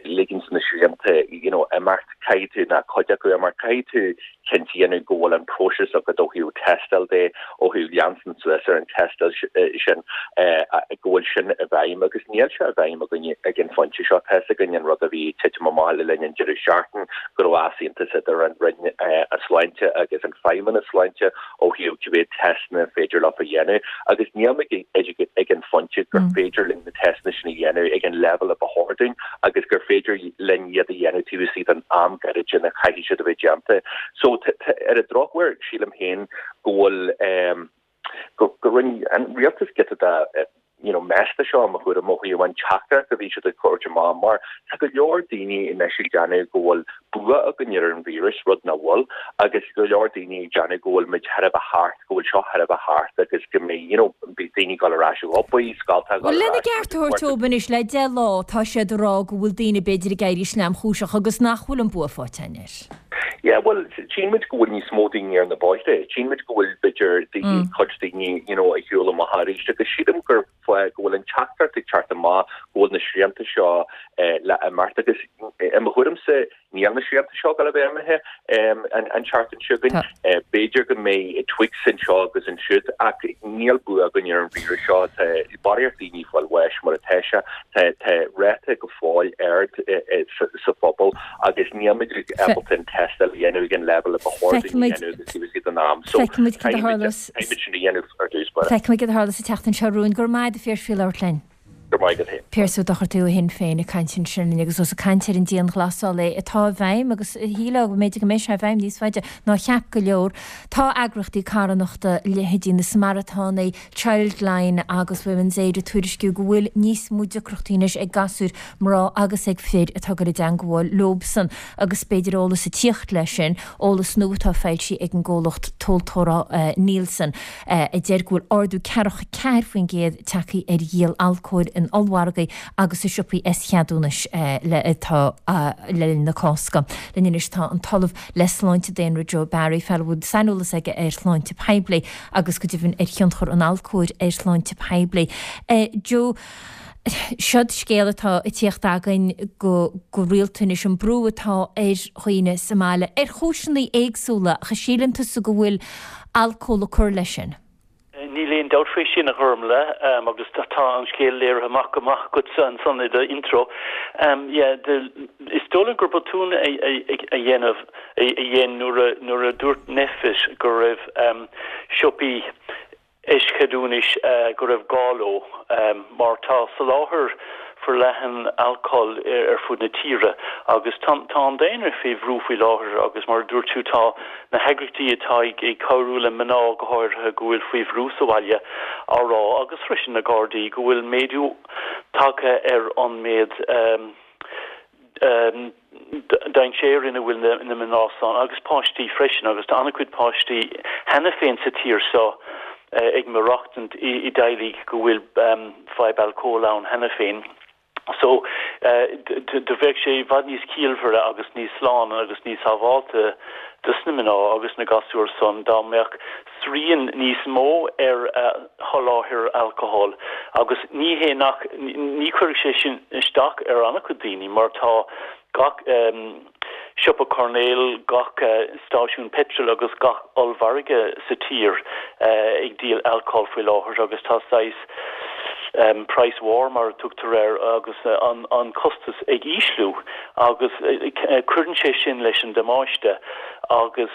ligint na srianta you know imeacht caithfidh tú nó cuid acu imeacht caithfidh tú cinnte a dhéanamh go bhfuil an próiseas agat ó thaobh tástáil de, ó thaobh leanstan suas ar an tástáil sin, go bhfuil sin i bhfeidhm agus níl sé i bhfeidhm againne ag an phointe seo. Tá fhios againn an rud a bhí ag titim amach le linn an deireadh seachtain, go raibh easaontas idir an Roinn Sláinte agus an Feidhmeannas Sláinte ó thaobh cé mhéad teisteanna an féidir leo a dhéanamh agus níl muid ag an phointe gur féidir linn na teisteanna sin a dhéanamh ag an leibhéal a ba chóir dúinn agus gur féidir linn iad a dhéanamh taobh istigh den am gairid ina chaithfidh siad a bheith déanta. So ar an drochuair sílim féin go bhfuil go go rinne an rialtas giota de you know mess de seo i mo thuairim ó thaobh an teachtaireacht a bhí siad ag tabhairt amach mar tá go leor daoine anois ag déanamh go bhfuil bua againn ar an víreas, rud nach bhfuil, agus go leor daoine ag déanamh go bhfuil muid chóir a bheith thart, go bhfuil seo chóir a bheith thart agus go mbeidh you know beidh daoine ag dul ar ais ag obair, scoltacha ag dul ar Bhuel lena ais gceart a thabhairt dóibh anois le deich lá tá siad ag rá go bhfuil daoine b'fhéidir ag éirí sleamchúiseach agus nach bhfuil an bua faighte againn air. Yeah, bhuel, tchíonn muid go bhfuil níos mó daoine ar na bóithre, tchíonn muid go bhfuil b'fhéidir daoine, cuid daoine, you know, ag siúl amach arís agus sílim gur fáth go bhfuil an teachtaireacht ag teacht amach go bhfuil na srianta seo le imeacht agus i mo thuairimse níl na srianta seo ag dul a bheith imithe an an tseachtain seo chugainn. B'fhéidir go mbeidh tweaks anseo agus ansiúd ach níl bua againn ar an víreas seo. Tá barraíocht daoine ag fáil bháis mar atá sé, tá tá ráta go fóill ard sa phobal agus níl muid ábalta an tástáil a dhéanamh ag an leibhéal a ba chóir dúinn a dhéanamh agus taobh istigh den am. So Feicfimid cad a tharlós. Caithfimid sin a dhéanamh ar dtús báire. Feicfimid cad a tharlós an tseachtain seo romhainn. Go raibh maith agat a Phiarais faoi labhairt linn. Go raibh maith agat féin. Piaras Ó Dochartaigh ó Shinn Féin ag caint ansin linn agus ós ag caint ar an dianghlasáil é atá i bhfeidhm agus shílfeá go mb'fhéidir go mbeidh sé i bhfeidhm níos faide ná cheap go leor. Tá eagraíochtaí carthanachta, leithéidí na Samaritánaigh, Childline agus Women's Aid ag tuairisciú go bhfuil níos mó deacrachtaí anois ag gasúir, mná agus ag fir atá ag dul i dteangmháil leobsan agus b'fhéidir eolas ag tíocht leis sin, eolas nua atá foilsithe ag an gcomhlacht tomhaltóra Nielsen a deir go bhfuil ardú ceathracha ceathair faoin gcéad tagtha ar dhíol alcóil in ollmhargaí agus i siopaí eischeadúnais le atá le linn na Cásca. Linn anois tá an tOllamh le Sláinte Daonra Joe Barry, fear a bhfuil saineolas aige ar shláinte poiblí agus go deimhin ar thionchar an alcóil ar shláinte poiblí. Joe. Seod scéal atá ag tíocht againn go rialta anois, an brú atá ar dhaoine sa mbaile, ar chúiseanna éagsúla, ach an síleann tusa go bhfuil alcól ag cur leis sin? Níl aon dabht faoi sin, a Ghormlaith, agus tá an scéal léirithe amach go maith agatsa ansan i do intro. Yeah, is dóigh liom gur botún a dhéanamh a dhein nuair a dúirt NPHET go raibh siopaí eischeadúnais go raibh gá leo, mar tá soláthar forleathan alcóil ar fud na tíre agus tá an daonra faoi bhrú faoi láthair agus mar a dúirt tú tá na heagraíochtaí atá ag cabhrú le mná go háirithe go bhfuil faoi bhrú sa bhaile á rá agus freisin na Gardaí go bhfuil méadú tagtha ar an méid dainséar ina bhfuil na mná san agus páistí freisin agus tá an-chuid páistí cheana féin sa tír seo ag maireachtaint i dteaghlaigh go bhfuil fadhb alcóil ann cheana féin. So do bheadh sé i bhfad níos ciallmhaire agus níos sláine agus níos sábháilte dos na mná agus na gasúir san dá mbeadh srian níos mó ar sholáthar alcohol agus ní hé nach ní chuirfeadh sé sin isteach ar an-chuid daoine mar tá gach siopa coirnéil, gach stáisiún peitril agus gach ollmhargadh sa tír ag díol alcohol faoi láthair agus tá saghas price war mar a tugtar air agus an costas ag ísliú agus cuireann sé sin leis an damáiste agus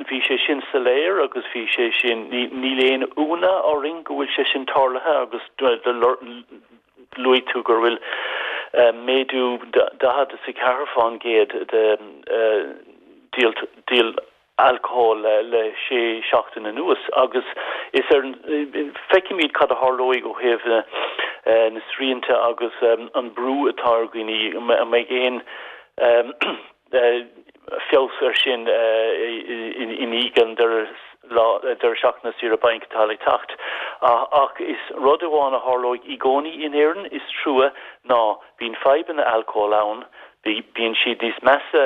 bhí sé sin soiléir agus bhí sé sin, níl aon ionadh orainn go bhfuil sé sin tarlaithe agus luaigh tú gur bhfuil méadú daichead is a ceathair fán gcéad de díol alcóil le sé seachtain anuas agus is ar feicfimid cad a tharlóidh ó thaobh na srianta agus an brú atá ar dhaoine an mbeidh aon feabhas ar sin i ndiaidh an deireadh seachtaine saoire bainc atá le teacht. Ach is rud amháin a tharlóidh i gcónaí in Éirinn, is trua, ná bíonn fadhbanna alcóil ann, Bíonn siad níos measa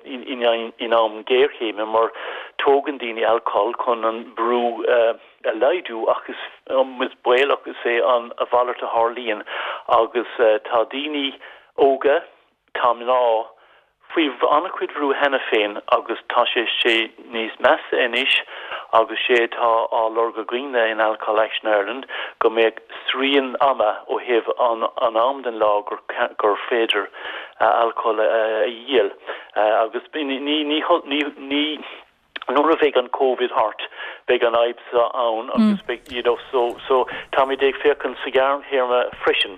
in am géarchéime mar tógann daoine alcól chun an brú a laghdú ach is baolach is é an a mhalairt a tharlaíonn agus tá daoine óga, tá mná, faoi an-chuid bhrú cheana féin agus tá sé sé níos measa anois agus sé atá á lorg againne in Alcohol Action Ireland go mbeadh srian ama ó thaobh an an am den lá gur gur féidir alcól a dhíol agus ní ní ní ní nuair a bheidh an Covid thart beidh an fhadhb seo ann agus beidh you know so so táimid ag féachaint sa ghearrthéarma freisin.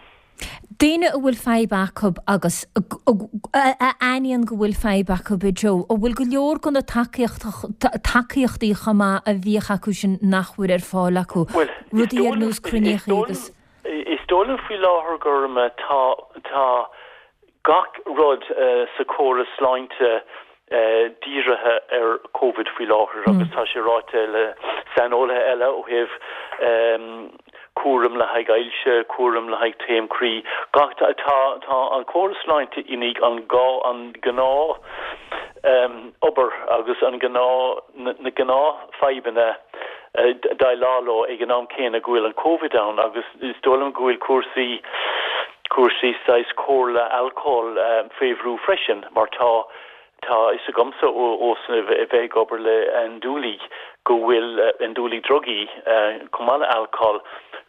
Daoine a bhfuil fadhb acu agus a aithníonn go bhfuil fadhb acu, a Joe, an bhfuil go leor de na tacaíochtaí chomh maith a bhíodh acu sin nach bhfuil ar fáil acu, rudaí ar nós cruinníochaí agus. Is dóigh liom faoi láthair gur tá tá gach rud sa chóras sláinte dírithe ar Covid faoi láthair agus tá sé ráite le saineolaithe eile ó thaobh cúram le haghaidh ailse, cúram le haghaidh taom croí, gach, tá, tá an córas sláinte i ndiaidh an gá, an gnáth obair agus an gnáth, na gnáthfhadhbanna déileáil leo ag an am céanna go bhfuil an Covid ann agus is dóigh liom go bhfuil cúrsaí, cúrsaí saghas comhairle alcóil faoi bhrú freisin mar tá, Tá a fhios agamsa ó bheith ag obair le andúiligh go bhfuil, andúiligh drugaí chomh maith le alcól,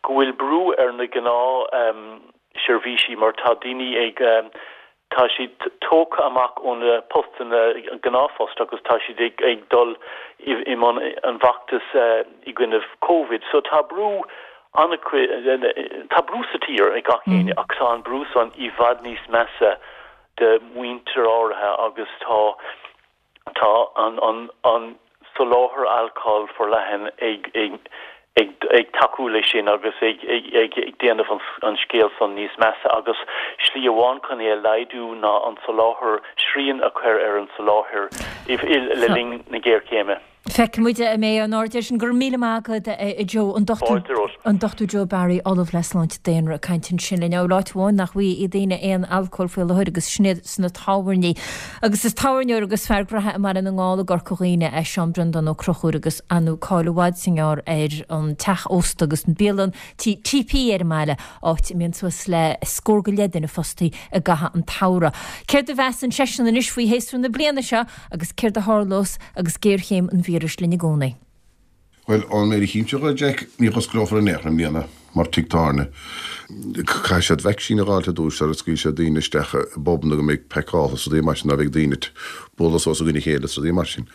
go bhfuil brú ar na gnáthsheirbhísí mar tá daoine ag, tá siad tógtha amach ó na postanna, gnáthphost agus tá siad ag dul i mbun an bhfeachtas i gcoinne Covid. So tá brú an-, tá brú sa tír ag gach éinne ach tá an brú san i bhfad níos measa de mhuintir áirithe agus tá tá an an an soláthar alcóil forleathan ag ag ag ag tacú leis sin agus ag ag ag ag déanamh an an scéal san níos measa agus slí amháin chun é a laghdú ná an soláthar srian a chur ar an soláthar i le linn na géarchéime. Feicfidh muid an mbeidh aon aird air sin. Go raibh míle maith agat, a Joe. An Dochtúir An Dochtúir Joe Barry, Ollamh le Sláinte Daonra, ag caint ansin linn. Bhuel, áit amháin nach bhfaighidh daoine aon alcól faoi láthair agus sin iad sna tábhairní. Agus is tábhairneoir agus fear graithe i mBaile na nGall i gCorca Dhuibhne é Seán Breandán Ó Conchúir agus ar ndóigh cáil i bhfad is i ngearr ar an teach ósta agus an bialann TP ar an mbaile, áit a mbíonn suas le scór go leith duine fostaí i gcaitheamh an tsamhraidh. Céard a mheasann seisean anois faoi shéasúr na bliana seo agus céard a tharlós agus géarchéim an víris linn i gcónaí? Bhuel, ón méid a chímse dhe, Jack, ní dh'osclófar in aon chor i mbliana mar tigh tábhairne. Caithfidh siad vaicsín a dh'fháilt ar dtúis sara scaoilfidh siad daoine isteach i bpubanna go mbeidh pacáilte is rudaí mar sin, ná bheidh daoine ag bualadh suas i gcoinne a chéile is rudaí mar sin.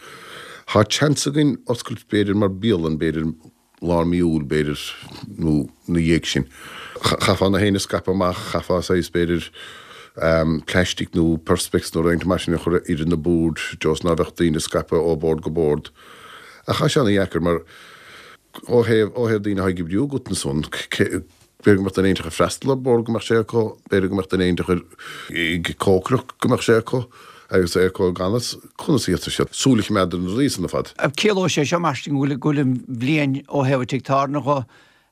Tá seans againn oscailt b'fhéidir mar bialann, b'fhéidir, lár mí Iúil, b'fhéidir, nó ina dhiaidh sin. Chaithfeá na héinne a scaipeadh amach, chaithfeá saghas, b'fhéidir, plaistic nó perspex nó roinnt mar sin a chur idir na boird, just ná bheadh daoine scaipthe ó bhord go bord. Ach tá sé ana-dheacair mar ó thaobh, ó thaobh daoine atá ag oibriú agat ansan, b'fhéidir go mbeadh duine éiginteach ag freastal ar bord go mbeadh sé acu, b'fhéidir go mbeadh duine éiginteach ag cócaireacht go mbeadh sé acu agus é acu gan fhios conas a fhéadfadh siad súil a choimeád ar na rudaí san ar fad. Ciallóidh sé seo mar sin go bhfuil an bhliain ó thaobh an tigh tábhairne dho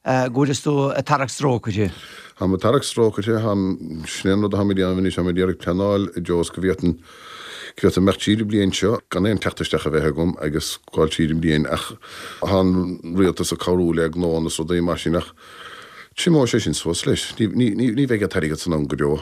go bhfuil tú ag tarrac strócaire. Táim ag tarrac strócaire, táim, sin é an rud atáim ag déanamh anois, táim ag iarraidh pleanáil i dtreo is go bhféadfainn, go bhféadfainn imeacht tríd an bliain seo gan aon teacht isteach a bheith agam agus gabháil tríd an bliain ach tá an rialtas ag cabhrú le gnóanna is rudaí mar sin ach triomóidh sé sin suas leis. Ní, ní, ní, ní bheidh an t-airgead san ann go deo.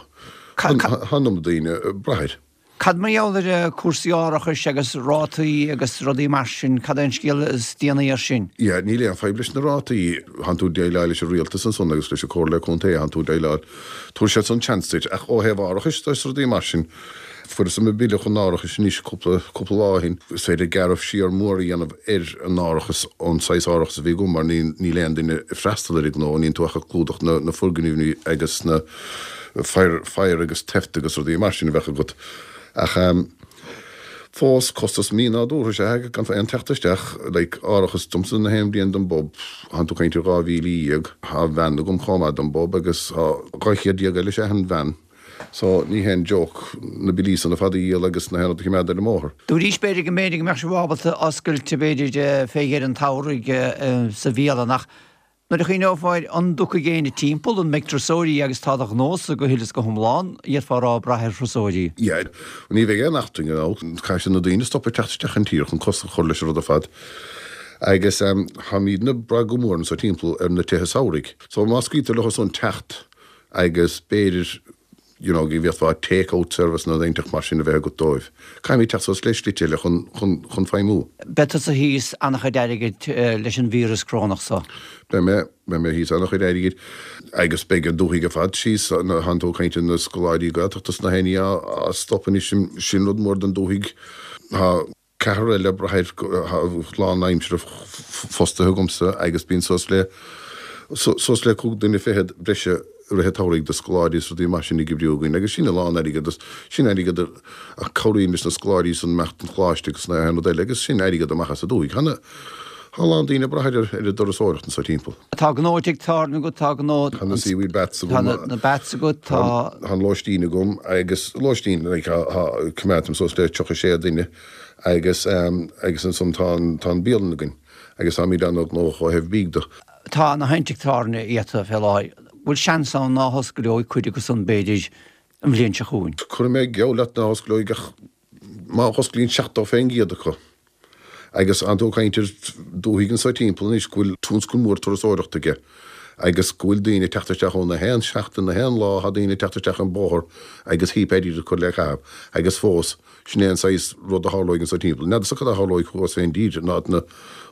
Tá an iomad daoine ag brath air. Cad mar gheall ar chúrsaí árachais agus rátaí agus rudaí mar sin, cad é an scéal is déanaí ar sin? Yeah, níl aon fadhb leis na rátaí. Thánn tú ag déileáil leis an rialtas ansan agus leis an Comhairle Contae, thánn tú ag déileáil, tabharfaidh siad san chance duit. Ach ó thaobh árachais de is rudaí mar sin, fuaireas mo bille chun árachais anois cúpla, cúpla lá ó shin. Is féidir gearradh siar mór a dhéanamh ar an árachas ón saghas árachas a bhí agam mar níl, níl aon duine ag freastal ar an ngnó, níl tú ach ag clúdach na, na foirgnimh agus na fire, fire agus theft agus rudaí mar sin a bheadh agat. Ach fós, costas mí-nádúrtha is ea é gan aon teacht isteach, like, árachas domsa na haon bhliain don bpub, thánn tú ag caint ar dhá mhíle dhéag, thá veain agam chomh maith don bpub agus thá dhá chéad déag eile is ea an veain. So, ní haon joke na billí san ar fad a dhíol agus na haon rud a choimeád ar an mbóthar. Dúraís b'fhéidir go mb'fhéidir go mbeadh sibh ábalta oscailt b'fhéidir fé dheireadh an tsamhraidh sa bhialann ach Nuair a chuimhneofá air, an dtiocfaidh éinne timpeall, an mbeidh turasóirí agus tá do ghnósa go huile is go hiomlán, d'fhéadfá a rá, ag brath ar thurasóirí. Yeah, ní bheidh aon eachtrainn ann. Caithfidh na daoine stopadh ag teacht isteach an tír chun cosc a chur leis an rud ar fad. Agus táimidne ag brath go mór anso timpeall ar na tithe samhraidh. So má scaoiltear leo san teacht agus b'fhéidir you know, go bhféadfá take out service nó rud inteacht mar sin a bheith agat dóibh. Caithfimid teacht suas le slite eile chun, chun, chun feidhmiú. Beidh tusa thíos an-chuid airgid leis an víreas corónach so. Beidh mé, beidh mé thíos an-chuid airgid agus beidh an dúthaigh ar fad síos, thánn tú ag caint ar na scoláirí Gaeltachta is na héinne á stop anois, sin rud mór don dúthaigh. Tá. Ceathrar eile ag brath air lánaimseartha fostaithe agamsa agus bíonn suas le suas le cúig duine fichead breise i rith an tsamhraidh do scoláirí is rudaí mar sin ag oibriú againn agus sin a lán airgead agus sin airgead a cabhraíonn leis na scoláirí san imeacht don choláiste agus na haon rud eile agus sin airgead amach as an dúthaigh. Tá tá a lán daoine ag brath ar ar an dturasóireacht anso timpeall. Tá gnó tigh tábhairne agat, tá gnó. Tá na Seaweed Baths agam. Tá na Baths agat, tá. Tá an lóistín agam agus lóistín like tá coimeádaim suas le tríocha sé duine agus agus ansan tá an tá an bialann againn agus táimid an-ghnóthach ó thaobh bídh de. Tá na haon tigh tábhairne iata fé láthair. Bhfuil seans ann ná hosclóidh cuid acu san b'fhéidir an bhliain seo chugainn? Cuirfidh mé geall leat ná hosclóidh ach má osclaíonn seachtó fén gcéad acu agus thánn tú ag caint ar dúthaigh anso timpeall anois go bhfuil tionscal mór turasóireachta aige agus go bhfuil daoine ag teacht isteach ann na haon seachtain, na haon lá thá daoine ag teacht isteach an bóthar agus heap airgid ag cur le caitheamh agus fós sin é an saghas rud a tharlóidh anso timpeall. N'fheadarsa cad a tharlóidh thuas fén dtír in áiteanna,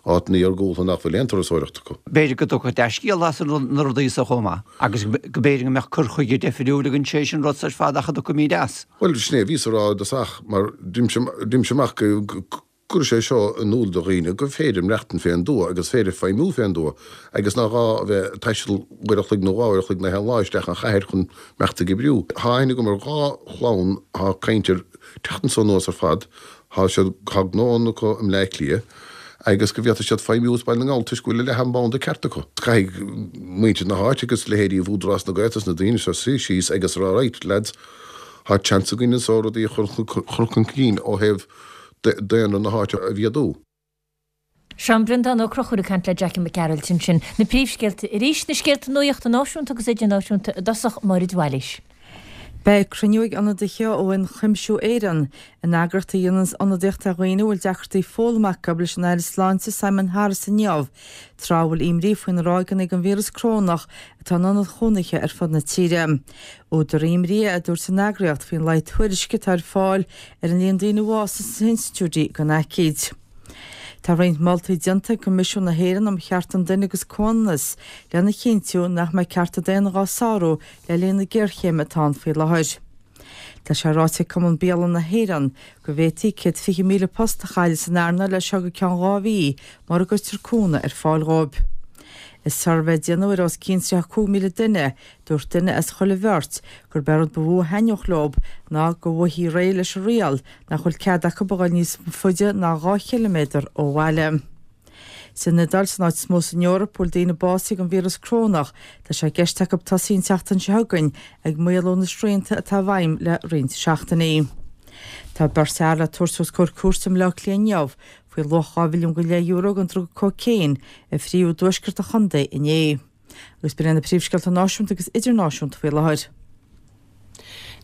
áiteanna iargúlta nach bhfuil aon turasóireacht acu. B'fhéidir go dtiocfadh dea-scéal as na rudaí so chomh maith agus go b'fhéidir go mbeadh cur chuige deifriúil againn sé sin rud ar fad ach a dtiocfaimid as. Bhuel sin é a bhíos a rá i dtosach mar d'imse amach go gcuirfidh sé seo in iúl do dhaoine gur féidir maireachtaint fén dtuath agus féidir feidhmiú fén dtuath agus nach gá a bheith ag taisteal uair a chloig nó dhá uair a chloig na haon lá isteach an chathair chun imeacht ag oibriú. Tá aithne agam ar dhá chlann thá ag caint ar teacht anso anuas ar fad, thá siad, thá gnóanna acu i mBleá Cliath agus go bhféadfaidh siad feidhmiú as Baile na nGall toisc go bhfuil a leath an banda ceart acu. Caithfidh muintir na háite agus leithéidí Údarás na Gaeltachta is na daoine seo suí síos agus a rá right lads, thá chance againn anso rudaí a chur chun cinn ó thaobh daonra na háite a mhéadú. Seán Breandán Ó Conchúir ag caint le Jackie Mac Gearailt ansin. Na príomhscéalta arís, na scéalta nuachta náisiúnta agus idirnáisiúnta i dtosach, Máire de Bhailís. Beidh cruinniú ag ionadaithe ó Ionchuimsiú Éireann, an eagraíocht a dhéananns ionadaíocht ar dhaoine a bhfuil deacrachtaí foghlama acu, leis an Aire Sláinte Simon Harris inniu, tráth a bhfuil imní faoi na ráigeanna den víreas corónach atá in ionaid chónaithe ar fud na tíre. Údar imní é, a dúirt an eagraíocht, faoin laghad tuairisce atá ar fáil ar an líon daoine a bhásaigh sna hinstitiúidí den aicíd. Tá roinnt moltaí déanta ag Coimisiún na hÉireann um Chearta an Duine agus Comhionannas lena chinntiú nach mbeidh cearta daonna dhá sárú le linn na géarchéime atá ann faoi láthair. Tá sé ráite ag Cumann Bialann na hÉireann go bhféadfaí céad fiche míle post a chailleadh san earnáil as seo go ceann dhá mhí mura gcuirtear cúnamh ar fáil dhóibh. I suirbhé a déanadh ar os cionn tríocha cúig míle duine, dúirt duine as chuile bheirt gurb é rud ba mhó a thaitneodh leo ná go bhfaighfí réidh leis an riail nach bhfuil cead acu a dhul níos faide ná dhá chiliméadar ó bhaile. San Iodáil, san áit is mó san Eoraip a bhfuil daoine básaithe den víreas corónach, tá sé i gceist acu tosaí an tseachtain seo chugainn ag maolú na srianta atá i bhfeidhm le roinnt seachtainí. Tá beirt fhear le tabhairt os comhair cúirte i mBleá Cliath inniu faoi luach dhá mhilliún go leith euro den druga cócaon a fríodh i dtuaisceart an chontae inné. Agus b'in na príomhscéalta náisiúnta agus idirnáisiúnta faoi láthair.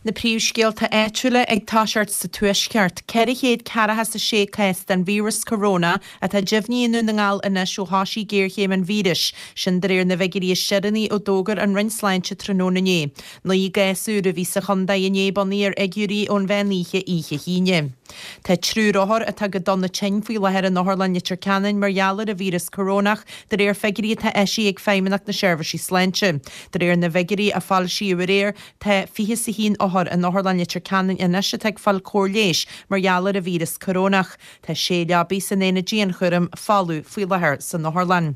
Na príomhscéalta áitiúla ag toiseacht sa Tuaisceart, ceithre chéad ceathracha is a sé cás den víreas coróna atá deimhnithe i nDún na nGall anois ó thosaigh géarchéim an víris, sin de réir na bhfigiúirí is deireanaí a d'fhógair an Roinn Sláinte tráthnóna inné. Naoi gcás úr a bhí sa chontae inné bunaithe ar fhigiúirí ón mheán oíche oíche hAoine. Tá triúr othar atá go dona tinn faoi láthair in Otharlann Leitir Ceanainn mar gheall ar an víreas corónach, de réir figiúirí atá eisithe ag Feidhmeannacht na Seirbhísí Sláinte. De réir na bhfigiúirí a foilsíodh aréir, tá fiche is a haon othar in Otharlann Leitir Ceanainn anois atá ag fáil cóir leighis mar gheall ar an víreas corónach. Tá sé leabaidh san aonad dianchúraim folamh faoi láthair san otharlann.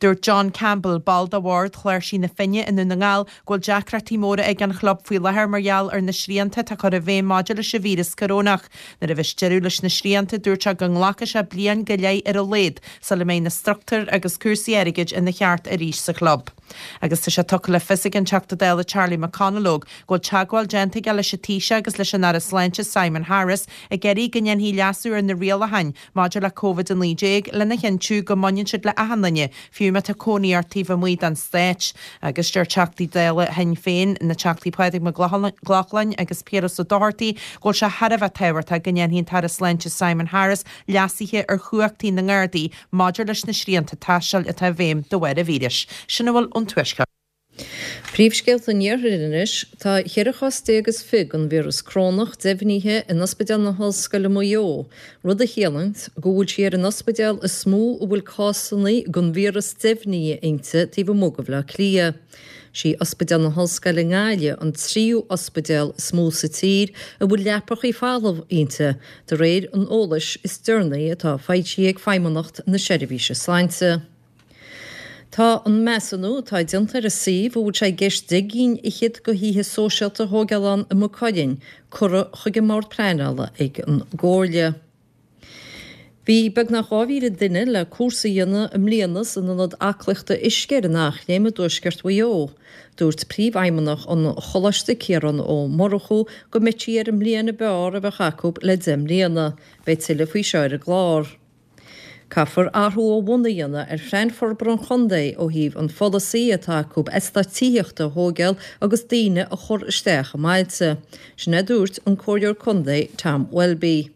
Dúirt John Campbell, ball de bhord Chláirsigh na Finne i nDún na nGall, go bhfuil deacrachtaí móra ag an chlub faoi láthair mar gheall ar na srianta atá curtha i bhfeidhm maidir leis an víreas corónach. Nuair a bheas deireadh leis na srianta, dúirt sé go nglacfaidh sé bliain go leith ar a laghad sula mbeidh na struchtúir agus cúrsaí airgid ina cheart arís sa chlub. Agus tá sé tugtha le fios ag an Teachta Dála Charlie McConalogue go bhfuil teagmháil déanta aige leis an Taoiseach agus leis an Aire Sláinte Simon Harris ag iarraidh go ndéanfaí leasú ar na rialacháin maidir le Covid a naoi déag lena chinntiú go mbaineann siad le achan duine, fiú má tá cónaí ort taobh amuigh den Stát. Agus deir Teachtaí Dála Shinn Féin, na Teachtaí Pádraig Mac Lochlainn agus Piaras Ó Dochartaigh, go bhfuil sé thar a bheith tábhachtach go ndéanfaidh an tAire Sláinte Simon Harris leasuithe ar chumhachtaí na nGardaí maidir leis na srianta taistil atá i bhfeidhm de bharr an víris. Sin a bhfuil ón Tuaisceart. Príomhscéalta an Iarthair anois, Tá cheithre chás déag is fiche den víreas corónach deimhnithe in Ospidéal na hOllscoile Maigh Eo, rud a chiallaíonn go bhfuil sí ar an ospidéal is mó a bhfuil cásanna den víreas deimhnithe inti taobh amuigh de Bhaile Átha Cliath. Sí Ospidéal na hOllscoile i nGaillimh an tríú ospidéal is mó sa tír a bhfuil leapacha folamh inti, de réir an eolais is deireanaí atá foilsithe ag Feidhmeannacht na Seirbhíse Sláinte. Tá an measúnú atá déanta ar an suíomh a bhfuil sé i gceist deich gcinn fhichead de thithe sóisialta a thógáil ann i Maigh Cuilinn curtha chuig an mBord Pleanála ag an gComhairle. Bhí beagnach dhá mhíle duine le cúrsa a dhéanamh i mbliana san Ionad Aclaíochta Uisce ar an Eachléim i dtuaisceart Mhaigh Eo. Dúirt Príomhfheidhmeannach an Choláiste, Ciarán Ó Murchú, go mbeidh sí ar an mbliain ab fhearr a bheadh acu le deich mbliana. Beidh tuilleadh faoi seo ar an gclár. Caithfear athrú ó bhun a dhéanamh ar phlean forbartha an chontae ó thaobh an pholasaí atá acu eastáit tithíochta a thóigeáil agus daoine a chur isteach i mbailte. Sin é a dúirt an Comhairleoir Contae Tom Welby.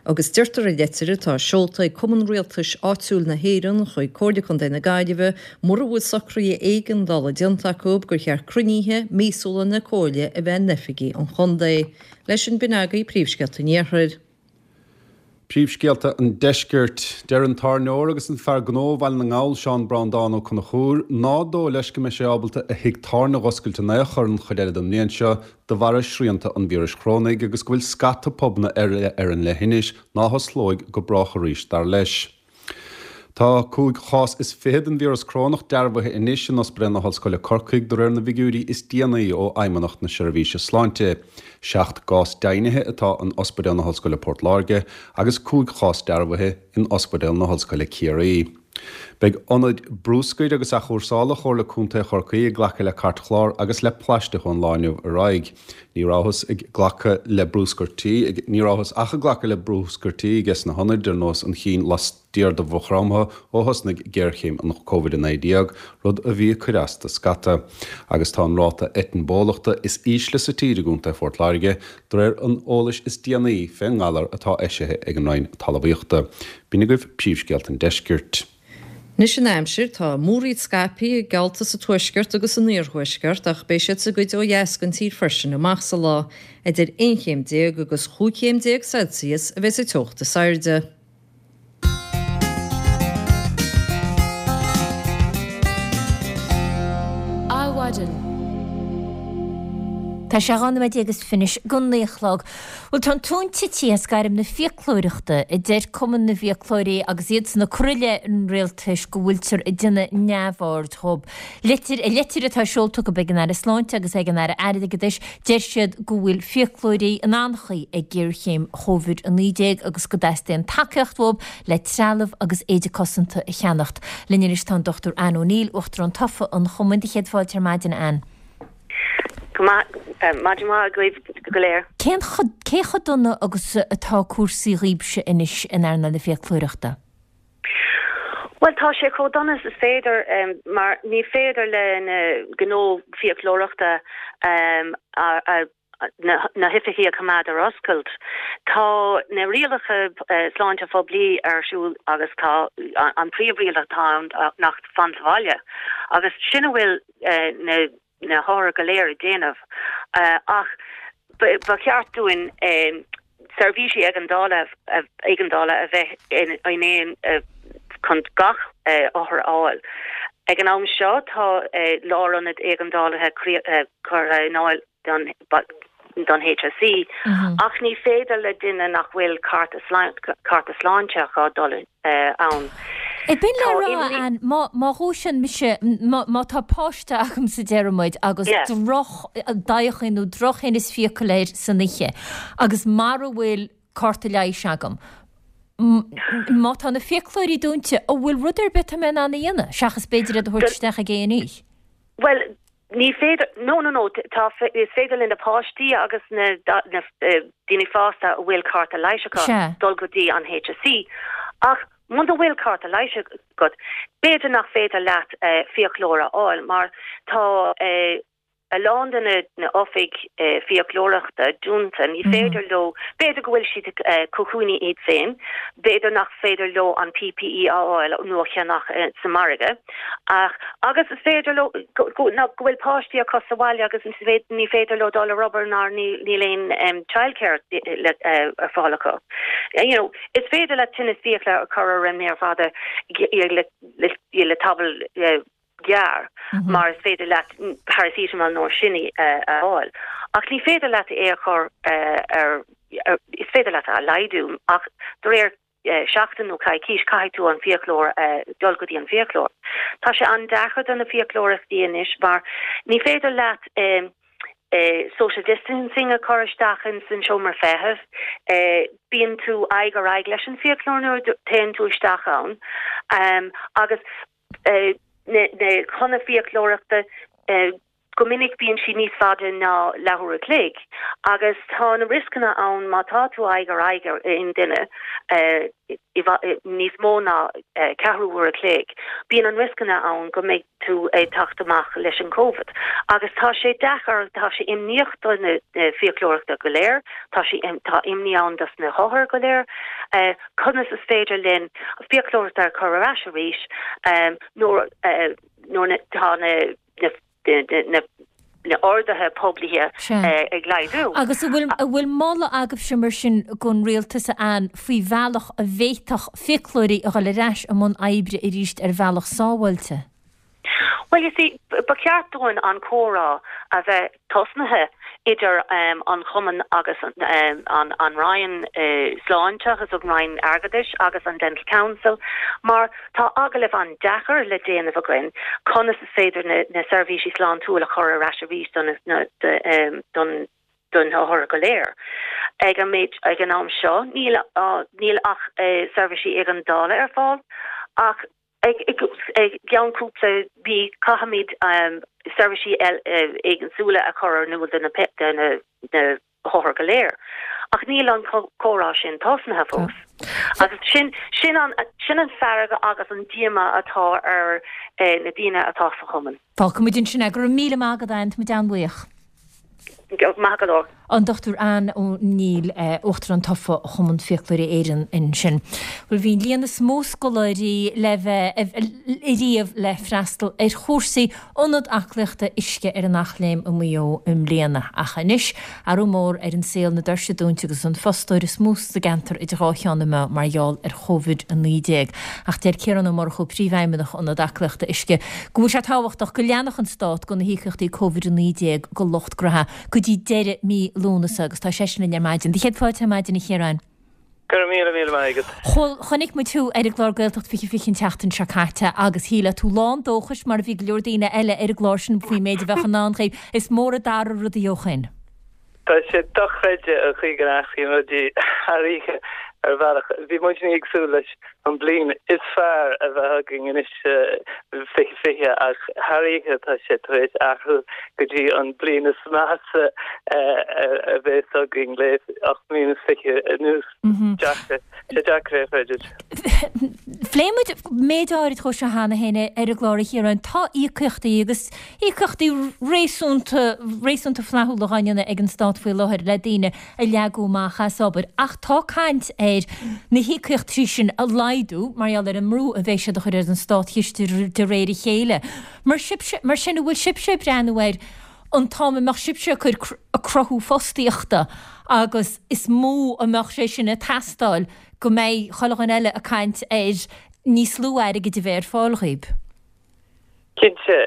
Agus deirtear i leitir atá seolta ag Cumann Rialtais Áitiúil na hÉireann chuig Comhairle Contae na Gaillimhe, mura bhfuil socruithe éigeandála déanta acu, gur cheart cruinnithe míosúla na Comhairle a bheith in oifigí an chontae. Leis sin b'in agaibh príomhscéalta an Iarthair. Príomhscéalta an Deiscirt. Deir an tábhairneoir agus an fear gnó Bhaile na nGall, Seán Breandán Ó Conchúir, ná dóigh leis go mbeidh sé ábalta a thigh tábhairne a dh'oscailt in aon chor an chuid eile den mbliain seo de bharra srianta an víris chorónaigh agus go bhfuil scata pubanna eile ar an leithinis ná hosclóidh go brách arís, dar leis. Tá cúig chás is fiche den víreas corónach dearbhaithe anois in Ospidéal na hOllscoile Corcaigh de réir na bhfigiúirí is déanaí ó Fheidhmeannacht na Seirbhíse Sláinte. Seacht gcás deimhnithe atá in Ospidéal na hOllscoile Port Láirge agus cúig chás dearbhaithe in Ospidéal na hOllscoile Ciarraí. Beidh ionaid brúscair agus athchúrsála Chomhairle Contae Chorcaí ag glacadh le cairtchlár agus le plaisteach ón lá inniu ar aghaidh. Ní rabhthas ag glacadh le brúscar tí, ní rabhthas ach ag glacadh le brúscar tí ages na hionaid ar nós an chinn laistiar de Mhaigh Chromtha ó thosnaigh géarchéim an Covid a naoi déag, rud a bhí ag cur as do scata. Agus tá an ráta eitinn bólachta is ísle sa tír i gContae Phort Láirge, de réir an eolais is déanaí fén ngalar atá eisithe ag an Roinn Talmhaíochta. B'in agaibh príomhscéalta an deiscirt. Anois an aimsir, tá múraíl scaipthe geallta sa tuaisceart agus san iarthuaisceart ach beidh siad sa gcuid ó dheas den tír freisin amach sa lá. Idir aon chéim déag agus chúig chéim déag Celsius a bheidh sa teocht is airde. Adhmhaidin. Tá sé dhá nóiméad déag is fiche anois go naoi a chlog. Bhuel, tá an tóin tite as gairm na fiaclóireachta, a deir Cumann na bhFiaclóirí agus iadsan ag cur i leith an rialtais go bhfuiltear ag déanamh neamhaird dhób. Litir, I litir atá seolta acu ag an Aire Sláinte agus ag an Aire Airgeadais, deir siad go bhfuil fiaclóirí in anchaoi ag géarchéim Chóivid a naoi déag agus go dteastaíonn tacaíocht uathu le trealamh agus éide cosanta a cheannacht. Linn anois tá an Dochtúir Anne O'Neill, Uachtarán Tofa an Chumainn. Do chéad fáilte ar maidin, a Anne. Go maith, maidin mhaith agaibh go léir. Cén cé chomh dona agus atá cúrsaí dhaoibhse anois in earnáil na fiaclóireachta? Bhuel tá sé chomh dona is is féidir mar ní féidir le na gnó fiaclóireachta na hoifigí a choimeád ar oscailt. Tá na rialacha sláinte phoiblí ar siúl agus tá an príomhriail atá ann ná fan sa bhaile agus sin a bhfuil na na hothair go léir ag déanamh ach ba cheart dúinn seirbhísí éigeandála éigeandála a bheith in aon chun gach othar a fháil. Ag an am seo tá lárionad éigeandálaithe curtha in áil don don HSE ach ní féidir le duine nach bhfuil cárta cárta sláinte acu dul ann. B'in le rá Ann, má má dhúisíonn mise, má má tá páiste agamsa deir muid agus droch daghachaí nó drochthinneas fiacal air san oíche agus mara bhfuil cárta leighis agam, má tá na fiaclóirí dúnta, an bhfuil rud ar bith atá mé in ann a dhéanamh seachas b'fhéidir iad a thabhairt isteach ag A and E? Bhuel, ní féidir, no no no, tá, is féidir le na páistí agus na na daoine fásta a bhfuil cárta leighis acu dul go dtí an HSE ach muna bhfuil cárta leighis agat, b'fhéidir nach féidir leat fiaclóir a fháil mar tá a lán de na oifig fiaclóireachta dúnta, ní féidir leo, b'fhéidir go bhfuil siad ag cocúnaí iad féin, b'fhéidir nach féidir leo an PPE a fháil nó a cheannach sa margadh ach agus is féidir leo go bhfuil páistí acu sa bhaile agus ní féidir leo dul ar obair ná níl aon childcare ar fáil acu. You know, is féidir le tinneas fiacla a chur ar an méar fada le le tamall gearr mar is féidir leat paracetamol nó sin a fháil. Ach ní féidir leat é a chur ar is féidir leat a laghdú ach de réir seachtain nó coicís caithfidh tú an fiaclóir dul go dtí an fiaclóir. Tá sé an-deacair do na fiaclóireachtaí anois mar ní féidir leat social distancing a chur isteach in san seomra feithimh. Bíonn tú aghaidh ar aghaidh leis an fiaclóir nuair a théann tú isteach ann agus na na fiaclóireachta go minic bíonn sí níos faide ná leathuair a chloig agus tá na rioscanna ann má tá tú aghaidh ar aghaidh ar aon duine níos mó ná ceathrú uair a chloig, bíonn an rioscanna ann go mbeidh tú ag teacht amach leis an Covid. Agus tá sé deacair, tá sé imníoch do na fiaclóireachta go léir, tá sé tá imní ann dos na hothair go léir, conas is féidir linn fiaclóireachta a chur ar ais arís nuair nuair tá na na na orduithe poiblithe ag laghdú. Agus an bhfuil an bhfuil moladh agaibhse mar sin don rialtas a Ann faoi bhealach a bhféadfadh fiaclóirí a dhul ar ais i mbun oibre arís ar bhealach sábháilte? Well you see, ba cheart dúinn an comhrá a bheith tosnaithe idir an Chumann agus an an Roinn Sláinte agus an Roinn Airgeadais agus an Dental Council mar tá agallamh an-deacair le déanamh againn conas is féidir na na seirbhísí sláintiúil a chur ar ais arís don don don othar go léir. Ag an méid ag an am seo níl níl ach seirbhísí éigeandála ar fáil ach ag ceann cúpla mí caithfimid seirbhísí éagsúla a chur ar iúl do na na hothair go léir. Ach níl an comhrá sin tosnaithe fós. Agus sin sin an sin an fearg agus an díomá atá ar na daoine atá sa chumann. Fágfaimid ansin é. Go raibh míle maith agat, Ann, tá muid an-bhuíoch. Maith go leor. An Dr Ann O'Neill, Uachtarán tofa Chumann Fiaclóirí Éireann ansin. Bhuel bhí an líon is mó scoláirí le bheith ariamh le freastal ar chúrsaí Ionad Aclaíochta Uisce ar an Eachléim i Maigh Eo i mbliana. Ach anois, athrú mór ar an saol, na doirse dúnta agus an fostóir is mó sa gceantar idir dhá cheann na meá mar gheall ar Chóivid a naoi déag. Ach deir Ciarán Ó Murchú, Príomhfheidhmeannach Ionad Aclaíochta Uisce, go bhfuil sé tábhachtach go leanfadh an Stát de na híocaíochtaí Cóivid a naoi déag go lucht graithe go dtí deireadh mí Lúnasa agus tá seisean linn ar maidin. Do chéad fáilte ar maidin a Chiaráin. Go raibh míle míle maith agat. Bhuel, chonaic muid thú ar an gclár Gaeltacht Fiche Fiche an tseachtain seo caite agus shílfeá tú lán dóchais mar a bhí go leor daoine eile ar an gclár sin faoin méid a bheadh i ndán dhaoibh. Is mór a d'athraigh rudaí ó shin. Tá sé dochreidte an chaoi go n-athraíonn rudaí thar oíche ar bhealach. Bhí muidne ag súil leis an bliain is fearr a bheith againn anois fiche fiche ach thar oíche tá sé tar éis athrú go dtí an bliain is measa a bheas againn le ocht mbliana is fiche anuas. Deacair, sé deacair é a chreidiúint. Phléigh muid méid áirid dhó seo cheana féin ar an gclár a Chiaráin. Tá íocaíochtaí agus íocaíochtaí réasúnta réasúnta flaithiúla á ndéanamh ag an Stát faoi láthair le daoine a leagadh amach as obair ach tá caint ar na híocaíochtaí sin a laghdú mar gheall ar an mbrú a bheidh siad a chur ar an státchiste de réir a chéile. Mar sibhse mar sin an bhfuil sibhse ag breathnú ar an t-am a mbeadh sibhse ag cur ag cruthú fostaíochta agus is mó a mbeadh sé sin ag teastáil go mbeidh chuile dhuine eile ag caint ar níos lú airgid a bheith ar fáil dhaoib. Cinnte.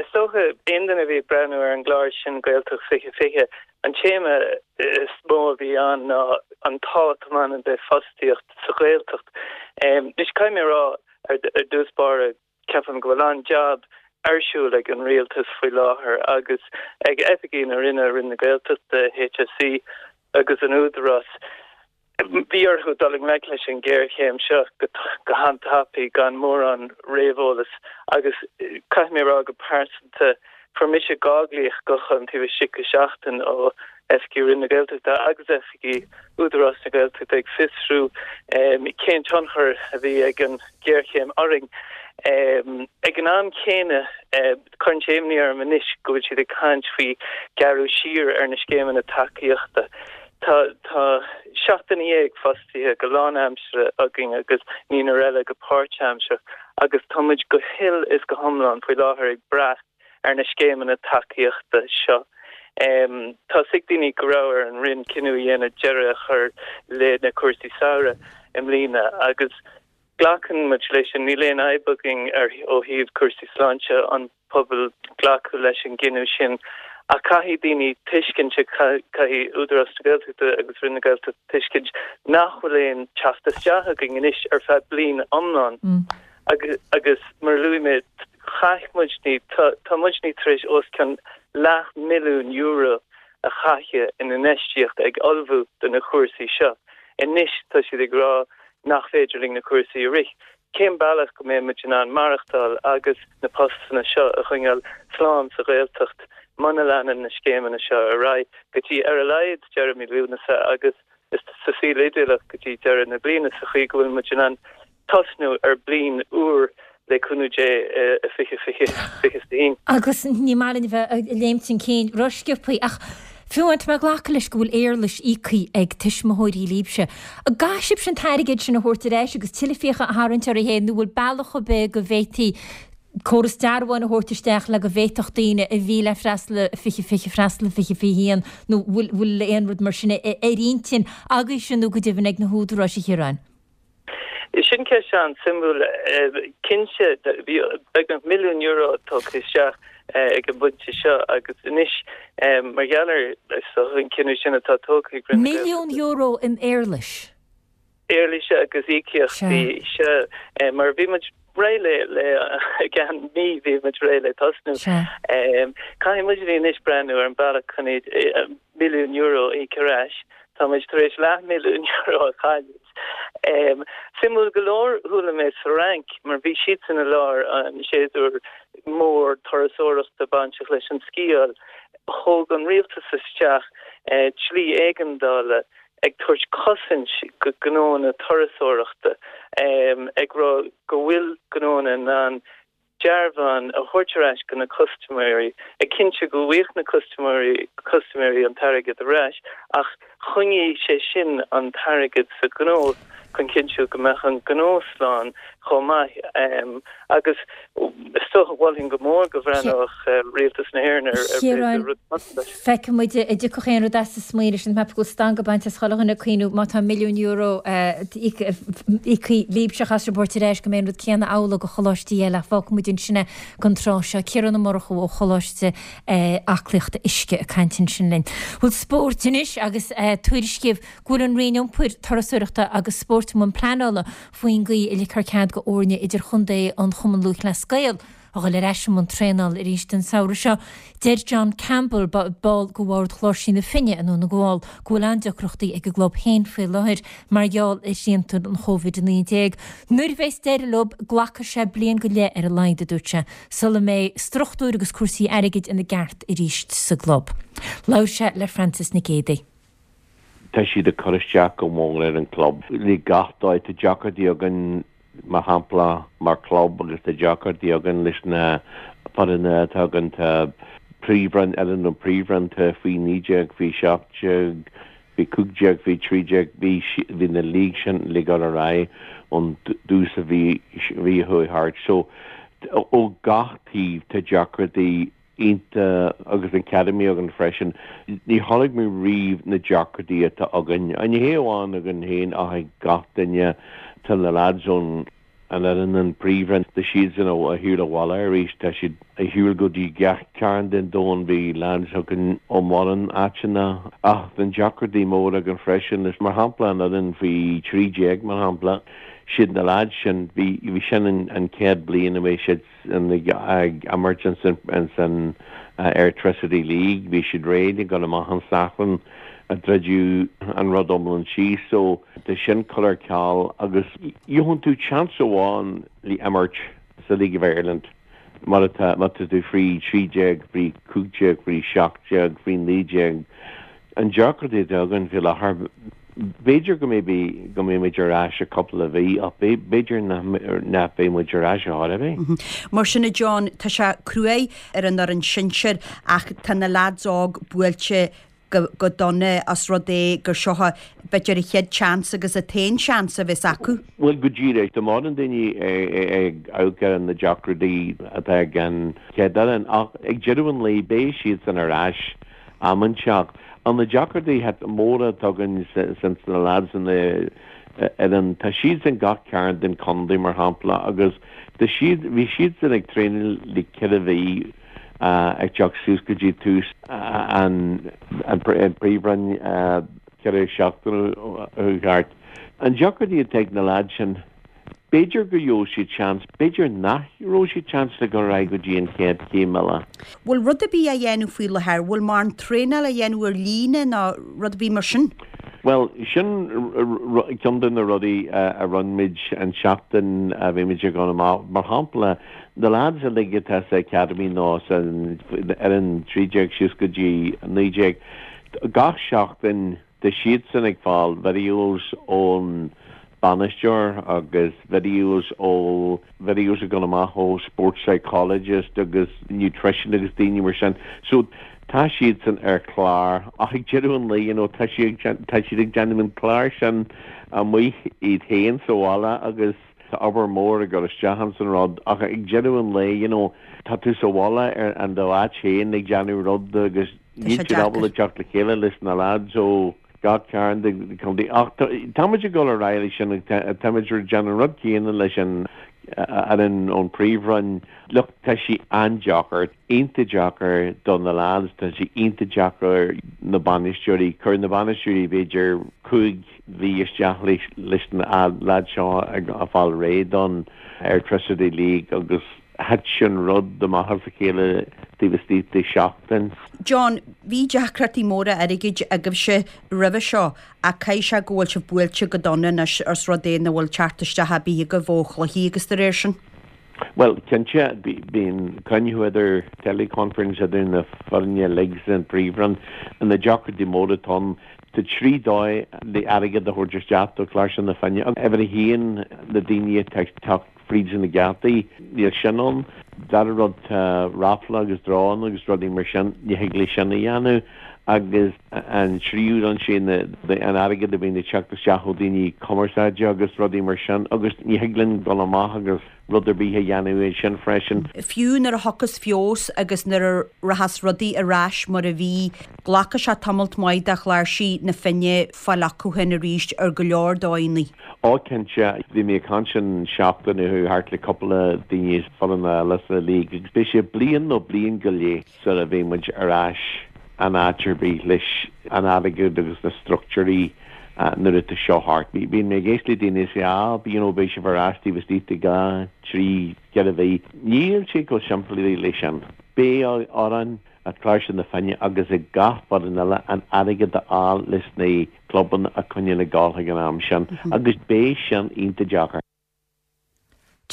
Is dócha, aon duine a bhí ag breathnú ar an gclár sin Gaeltacht fiche fiche, an téama is mó a bhí ann ná an tábhacht a bhaineann le fostaíocht sa Ghaeltacht. Anois caithfidh mé a rá ar dtús báire, Ceapaim go bhfuil an-jab ar siúl ag an Rialtas faoi láthair agus ag oifigigh na Roinne, Roinn na Gaeltachta, HSE agus an Údarás. Bhí orthu dul i ngleic leis an ghéarchéim seo go han-tapaidh gan mórán réamheolas agus caithfidh mé a rá go pearsanta fuair mise dhá ghlaoch gutháin taobh istigh de sheachtain ó oifigigh Roinn na Gaeltachta agus oifigigh Údarás na Gaeltachta ag fiosrú cén tionchar a bhí ag an ghéarchéim orainn. Ag an am céanna, cuireann sé imní orm anois go bhfuil siad ag caint faoi gearradh siar ar na scéimeanna tacaíochta. Tá tá seacht nduine dhéag fostaithe go lánaimseartha againn agus naonúr eile go páirtaimseartha agus tá muid go huile is go hiomlán faoi láthair ag brath ar na scéimeanna tacaíochta seo. Tá a fhios ag daoine go raibh ar an Roinn cinneadh a dhéanamh deireadh a chur le na cúrsaí samhraidh i mbliana agus glacann muid leis sin. Níl aon fhadhb againn ar ó thaobh cúrsaí sláinte an pobail glacadh leis an gcinneadh sin ach caithfidh daoine tuiscint, caithfidh Údarás na Gaeltachta agus Roinn na Gaeltachta tuiscint nach bhfuil aon teacht isteach againn anois ar feadh bliain iomlán. Agus mar a luaigh mé, chaith muidne, tá muidne tar éis os cionn leath milliún euro a chaitheamh in infheistíocht ag ullmhú do na cúrsaí seo. Anois tá siad ag rá nach féidir linn na cúrsaí a rith. Cén bealach go mbeidh muid in ann maireachtáil agus na postanna seo a choinneáil slán sa Ghaeltacht muna leanann na scéimeanna seo ar aghaidh go dtí ar a laghad deireadh mí Lúnasa agus sa saol idéalach go dtí deireadh na bliana sa chaoi go bhfuil muid in ann tosnú ar bliain úr le cúnamh Dé i fiche fiche fiche a haon. Agus ní maith linn a bheith ag léimt chun cinn rósciobtha ach fiú amháin tá mé ag glacadh leis go bhfuil éarlais íoctha ag tuismitheoirí libhse. An gcaithfidh sibhse an t-airgead sin a thabhairt ar ais agus tuilleadh fiacha a tharraingt oraibh féin nó bhfuil bealach ar bith go bhféadfaí córas dearbháin a thabhairt isteach le go bhféadfadh daoine a bhí le freastal i fiche fiche freastal i fiche fiche haon nó bhfuil bhfuil aon rud mar sin ar intinn agaibhse nó go deimhin ag na húdaráis a Chiaráin? Sin ceist an-suimiúil. Cinnte, bhí beagnach milliún euro tugtha isteach ag an bpointe seo agus anois mar gheall ar an cinneadh sin atá tógtha ag Roinn na Gaeltachta. Milliún euro in éarlais? Éarlais agus íocaíochtaí, sea. Mar bhí muid réidh le, le, i gceann mí bhí muid réidh le tosnú. Caithfidh muidne anois breathnú ar an bealach chun iad, milliún euro a íoc ar ais. Tá muid tar éis leathmhilliún euro a chailleadh. Suimiúil go leor, chuala mé sa Fhrainc, mar bhí siadsan i lár an séasúr mór turasóireachta bainteach leis an sciáil, thóg an rialtas isteach dlí éigeandála ag tabhairt cosaint go gnóanna turasóireachta, ag rá go bhfuil gnóanna in ann dearbhán a thabhairt ar ais go na custaiméirí, ag cinntiú go bhfaigheadh na custaiméirí custaiméirí an t-airgead ar ais, ach choinnigh sé sin an t-airgead sa ghnó chun cinntiú go mbeadh an gnó slán chomh maith. Agus is dócha, mholfainn go mór go bhreathnódh Rialtas na hÉireann ar Chiaráin, rud cosúil leis. Feicfidh muid an dtiocfadh aon rud as an smaoineamh sin. Ceapaim go bhfuil stangadh bainte as chuile dhuine ag cuimhniú má tá milliún euro íoctha libhse chaithfeas sibh a thabhairt ar ais go mbeidh an rud céanna amhlaidh do choláistí eile ach fágfaidh muid ansin é don tráth seo. Ciarán Ó Murchú ó Choláiste Aclaíochta Uisce ag caint ansin linn. Bhuel spóirt anois agus tuairiscíodh go bhfuil an Roinn Iompair, Turasóireachta agus Spóirt i mbun pleanála faoin gcaoi a ligfear cead go fhoirne idirchontae an Chumann Lúthchleas Gael a dhul ar ais i mbun traenála arís an samhradh seo. Deir John Campbell, ball de bhord Chláirsigh na Finne i nDún na nGall, go bhfuil an-deacrachtaí ag an gclub féin faoi láthair mar gheall ar shrianta an Chóivid a naoi déag. Nuair a bheas deireadh leo, glacfaidh sé bliain go leith ar a laghad, a dúirt sé, sula mbeidh struchtúir agus cúrsaí airgid ina gceart arís sa gclub. Labhair sé le Frances Nic Géadaigh. Tá siad ag cur isteach go mór ar an gclub le gach dóigh. Tá deacrachtaí againn mar shampla, mar club agus tá deacrachtaí againn leis na foirne atá againn, tá príomhroinn, fhoireann an príomhroinn, tá faoi naoi déag, faoi seacht déag, faoi cúig déag, faoi trí déag, bhí bhí na league sin le dul ar aghaidh ón dtús a bhí bhí a chuaigh thart. So ó gach taobh tá deacrachtaí ionta agus an Academy againn freisin. Ní chonaic mé riamh na deacrachtaí atá againn. Ní hé amháin againn féin ach ag gach duine. Tá na lads ón an fhoireann an príomhroinn, tá siadsan ar shiúl abhaile arís, tá siad ar shiúl go dtí gach cearn den domhan, bhí lads againn ó mórán áiteanna. Ach tá deacrachtaí móra againn freisin, mar shampla an fhoireann faoi trí déag mar shampla, siad na lads sin, bhí bhí sin an chéad bliain a bhí siad ag imirt ins an Airtricity League, bhí siad réidh ag dul amach an Satharn a druideadh an rud iomlán síos so tá sin curtha ar ceal agus gheobhann tú chance amháin le imirt sa League of Ireland mar atá má tá tú faoi trí déag, faoi cúig déag, faoi seacht déag, faoi naoi déag. An deacrachtaí atá againn faoi láthair b'fhéidir go mbeidh go mbeidh muid ar ais i cúpla mhí ach b'fhéidir nach mbeidh muid ar ais ar chor ar bith. Mar sin a John, tá sé cruaidh ar an fhoireann sinsir ach tá na lads óg buailte go, go dona as rud é gur seo b'fhéidir a chéad chance agus a t-aon seans a bheas acu. Bhuel go díreach tá mórán daoine ag amharc ar na deacrachtaí atá ag an chéad fhoireann ach ag deireadh an lae beidh siad san ar ais am inteacht. An na deacrachtaí móra atá againn sin na lads an fhoireann tá siad san gach cearn den chontae mar shampla agus tá siad bhí siad san ag traenáil le ceithre mhí ag teacht suas go dtí tús an an príomhroinn ceithre seachtaine ó thart. An deacrachtaí atá ag na lads sin B'fhéidir go gheobhadh siad seans, b'fhéidir nach raibh siad seans le go raibh go dtí an chéad chéim eile. Bhfuil rud ar bith á dhéanamh faoi láthair? Bhfuil mórán traenáil á dhéanamh ar líne nó rud ar bith mar sin? Bhuel, sin ceann de na rudaí a rinne muid an tseachtain a bhí muid ag dul amach. Mar shampla, na lads uilig atá sa Academy nó san fhoireann trí déag síos go dtí naoi déag, gach seachtain tá siadsan ag fáil videos ón bainisteoir agus videos ó videos ag dul amach ó sports psychologist agus nutrition agus daoine mar sin. So tá siadsan ar chlár ach ag deireadh an lae you know, tá siad tá siad ag déanamh an clár sin amuigh iad féin sa bhaile agus tá obair mór ag dul isteach san rud ach ag deireadh an lae you know, tá tú sa bhaile ar an do áit féin ag déanamh rud agus níl siad ábalta teacht le chéile leis na lads ó gach cearn den chontae ach táimid ag dul ar aghaidh leis sin táimid ag déanamh rud céanna leis an an ón príomhroinn look tá sé an-deacair iontach deacair do na lads tá sé iontach deacair na bainisteoirí chuir na bainisteoirí b'fhéidir cúig mhí isteach leis leis na lads seo ag a fáil réidh don Airtricity League agus thit sin rud amach as a chéile taobh istigh de seachtain. John, bhí deacrachtaí móra airgid agaibhse roimhe seo ach caithfidh sé go bhfuil sibh buailte go dona anois os rud é nach bhfuil teacht isteach ar bith agaibh ó chluichí agus dá réir sin. Well, cinnte bíonn cruinniú idir teleconference idir na foirne uilig san príomhroinn an na deacrachtaí móra atá ann Tá trí dóigh le airgead a thabhairt isteach do Chláirseach na Finne. Uimhir a haon na daoine atá ag teacht fríd na geataí níl sin ann. Dara rud tá raffle agus draw agus rudaí mar sin ní thig le sin a dhéanamh agus an tríú an sin an airgead a bhíonn ag teacht isteach ó daoine cumarsáide agus rudaí mar sin agus ní thig linn dul amach agus rud ar bith a dhéanamh é sin freisin. Fiú nuair a thiocfas feabhas agus nuair a rachas rudaí ar ais mar a bhí, glacfaidh sé tamalt maith do Chláirsigh na Finne fáil acu féin arís ar go leor dóigheanna. Ó cinnte bhí mé ag caint an seachtain thart le cúpla daoine foirne eile sa league agus beidh sé bliain nó bliain go leith sula bheidh muid ar ais an áit ar bith leis an airgead agus na struchtúirí nuair atá seo thart. Bíonn mé ag éisteacht le daoine sé á you know beidh sibh ar ais taobh istigh de dhá trí ceithre mhí. Níl sé chomh simplí leis sin. Beidh orainn ag Cláirseach na Finne agus ag gach foireann eile an airgead a fháil leis na clubanna a choinneáil ag dul ag an am sin agus beidh sin iontach deacair.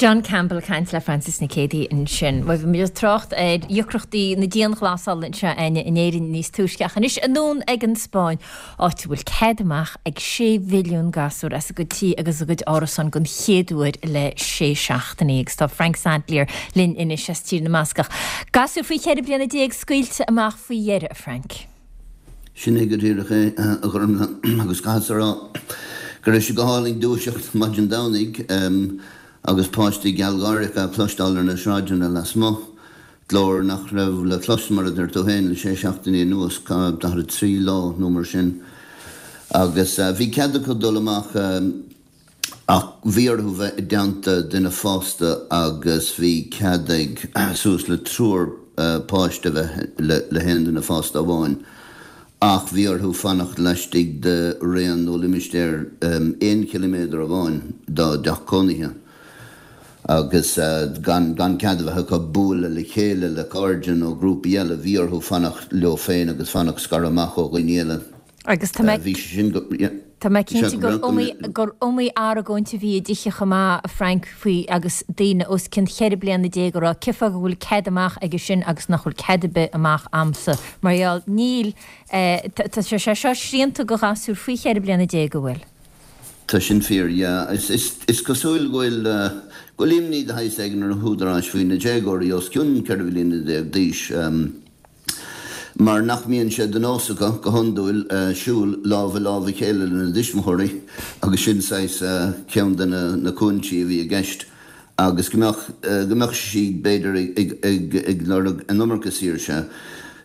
John Campbell ag caint le Frances Nic Géadaigh ansin. Bhuel, bhí muid ag trácht ar dheacrachtaí na dianghlasála anseo againne in Éirinn níos túisce ach anois anonn ag an Spáinn, áit a bhfuil cead amach ag sé mhilliún gasúr as a gcuid tí agus a gcuid árasán den chéad uair le sé seachtainí agus tá Frank Sadlier linn anois as Tír na mBascach. Gasúir faoi cheithre bliana déag scaoilte amach faoi dheireadh, a Frank. Sin é go díreach é, a Ghormfhlaith, agus caithfeadsa a rá go raibh sé go hálainn dúiseacht maidin Domhnaigh agus páistí gealgháireach á cloisteáil ar na sráideanna lasmuigh, glór nach raibh le clos, mar a deir tú féin, le sé seachtainí anuas, daichead a trí lá nó mar sin. Agus bhí cead acu dul amach ach bhí orthu bheith i dteannta duine fásta agus bhí cead ag suas le triúr páiste bheith le haon duine fásta amháin. Ach bhí orthu fanacht laistigh de raon nó limistéar aon chiliméadar amháin dá dteach cónaithe agus gan gan cead a bheith acu bualadh le chéile le cairde nó grúpaí eile, bhí orthu fanacht leo féin agus fanacht scartha amach ó dhaoine eile. Agus tá mé Bhí sé sin go. Tá mé cinnte gur iomaí gur iomaí argóint a bhí i dtithe chomh maith, a Frank, faoi agus daoine os cionn cheithre bliana déag ag rá cén fáth go bhfuil cead amach aige sin agus nach bhfuil cead ar bith amach a'msa. Mar gheall, níl, tá sé seo srianta go ghasúir faoi cheithre bliana déag, an bhfuil? Tá sin fíor, yeah. Is, is, is cosúil go bhfuil, go bhfuil imní de shaghas éigin ar na húdaráis faoi na déagóirí os cionn ceithre bliana déag d'aois. Mar nach mbíonn sé de nós acu, go hiondúil, siúl lámh i lámh a chéile lena dtuismitheoirí agus sin saghas ceann de na cúinsí a bhí i gceist agus go mbeadh, go mbeadh siad b'fhéidir ag, ag, ag lorg an iomarca saoirse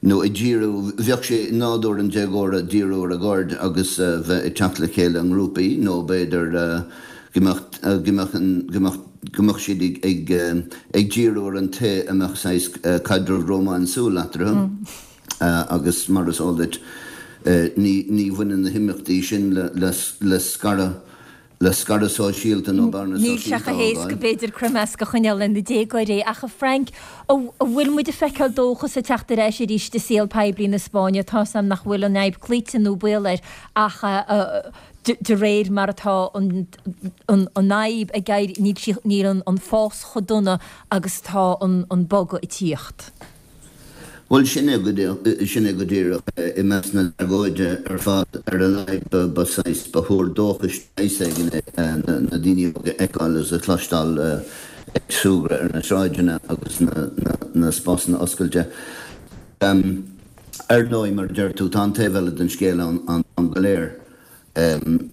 nó ag díriú, bheadh sé i nádúr an déagóra díriú ar a gcairde agus bheith ag teacht le chéile i ngrúpaí nó b'fhéidir go mbeadh, go mbeadh an, go mbeadh. go mbeadh siad ag ag díriú ar an té a mbeadh saghas caidreamh rómánsúil eatarthu agus mar is eol duit ní ní bhaineann na himeachtaí sin le le scaradh le scaradh sóisialta nó bearna Níl sé sóisialta chomh a héasca fhágáil. b'fhéidir croimeasc a choinneáil le na déagóirí ach a Frank, an bhfuil muid ag feiceáil dóchas ag teacht ar ais arís i saol poiblí na Spáinne? Tá's a'm nach bhfuil an fhadhb cloíte nó baol air ach de réir mar atá an fhadhb ag éirí, níl sí, níl an fás chomh dona agus atá an bogadh ag tíocht. Bhuel, sin é go, sin é go díreach. I measc na tragóide ar fad, ar a laghad ba, ba saghas, ba thuar dóchais de shaghas éigin é na daoine óga a fheiceáil agus a chloisteáil ag súgradh ar na sráideanna agus na, na, na spásanna oscailte. Ar ndóigh, mar a deir tú, tá an taobh eile den scéal ann an t-am go léir.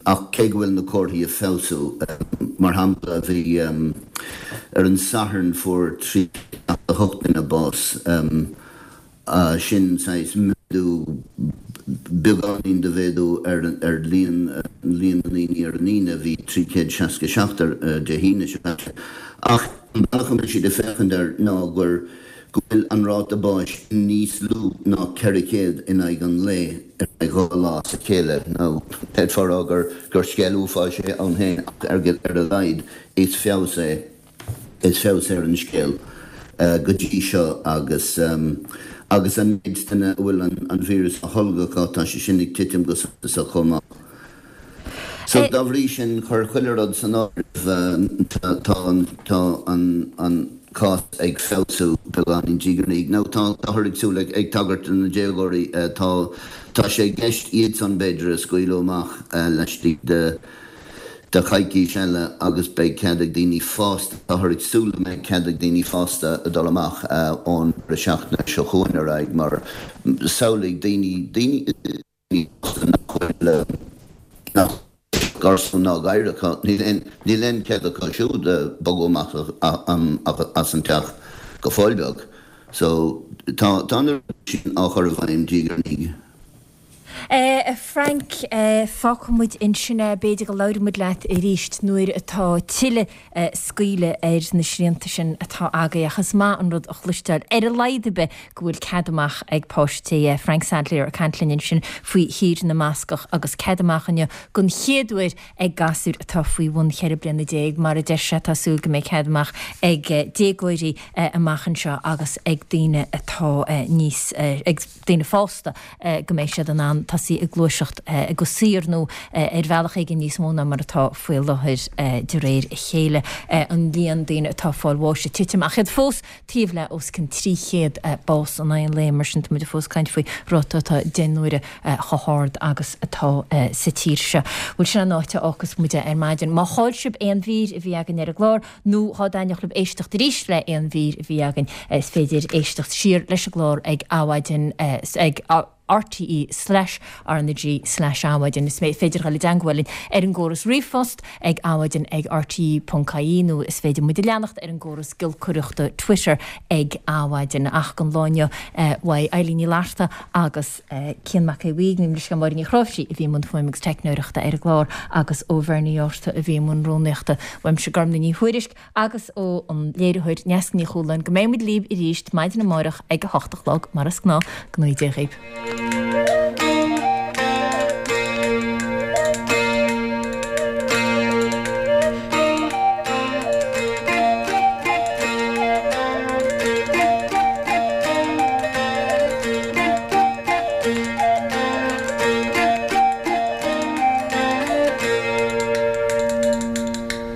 Ach cé go bhfuil na comharthaí ag feabhsú, mar shampla, bhí, ar an Satharn fuair trí chéad seachtó a hocht duine bás, sin saghas méadú, beagáinín de mhéadú ar ar líon líon na ndaoine ar an Aoine, bhí trí chéad seasca seacht ar Dé hAoine seo caite. Ach an bealach a mbeidh siad ag féachaint air ná gur go bhfuil an ráta báis níos lú ná ceithre chéad in aghaidh an lae ar feadh dhá lá as a chéile. Now, d'fhéadfá a rá gur gur scéal uafáis é ann féin ach ar ar a laghad is feabhas é is feabhas é ar an scéal go dtí seo agus agus an méid duine a bhfuil an an víreas á tholgadh acu, tá sé sin ag titim go suntasach chomh maith. So dá bhrí sin, cuir chuile rud san áireamh, tá an tá an an cás ag feabhsú beagáinín diaidh ar ndiaidh. Now tá táthar ag súil ag ag tagairt do na déagóirí, tá tá sé i gceist iadsan b'fhéidir a scaoileadh amach laistigh de de choicís eile agus beidh cead ag daoine fásta, táthar ag súil go mbeidh cead ag daoine fásta a dul amach ón deireadh seachtaine seo chugainn ar aghaidh mar samhlaigh daoine daoine nach bhfuil nach garsún ná gadhair acu, níl aon níl aon chead acu siúd bogadh amach as an teach go fóill beag. So tá tá na rudaí sin á chur i bhfeidhm diaidh ar ndiaidh. A Frank, fágfaidh muid ansin é, b'fhéidir go labhróidh muid leat arís nuair atá tuilleadh scaoileadh ar na srianta sin atá agaibh ach is maith an rud a chloisteáil, ar a laghad ar bith, go bhfuil cead amach ag páistí. Frank Sadlier ag caint linn ansin faoi Thír na mBascach agus cead amach inniu den chéad uair ag gasúir atá faoi bhun cheithre bliana déag. Mar a deir sé, tá súil go mbeidh cead amach ag déagóirí amach anseo agus ag daoine atá níos, ag daoine fásta go mbeidh siad in ann ann tosaí ag gluaiseacht go saor nó ar bhealach éigin níos mó ná mar atá faoi láthair de réir a chéile an líon daoine atá ag fáil bháis ag titim ach iad fós taobh le os cionn trí chéad bás in aghaidh an lae mar sin tá muid fós ag caint faoi ráta atá deich n-uaire chomh hard agus atá sa tír seo. Bhuel sin an áit a fhágfas muid ar maidin. Má chaill sibh aon mhír a bhí againn ar an gclár nó dhá dtaitneodh libh éisteacht arís le aon mhír a bhí againn is féidir éisteacht siar leis an gclár ag Adhmhaidin ag rte slash RnaG slash Adhmhaidin. Is féidir dhul i dteangmháil linn ar an gcóras ríomhphost ag adhmaidin ag rte ponc ie nó is féidir muid a leanacht ar an gcóras giolcaireachta Twitter ag Adhmhaidin. Ach don lá inniu uaidh Eilín Ní Fhlatharta agus Cian Mac Aodha Bhuí, gabhaim leithscéal Máire Ní Chráimhsí a bhí i mbun fuaime agus teicneoireachta ar an gclár agus ó Bhernie Orta a bhí i mbun rúnaíochta. Uaimse Gormlaith Ní Thuairisg agus ó an léiritheoir Neasa Ní Chualáin go mbeidh muid libh arís maidin amárach ag a hocht a chlog mar is gnáth. Go ngnóthaí Dia dhaoibh.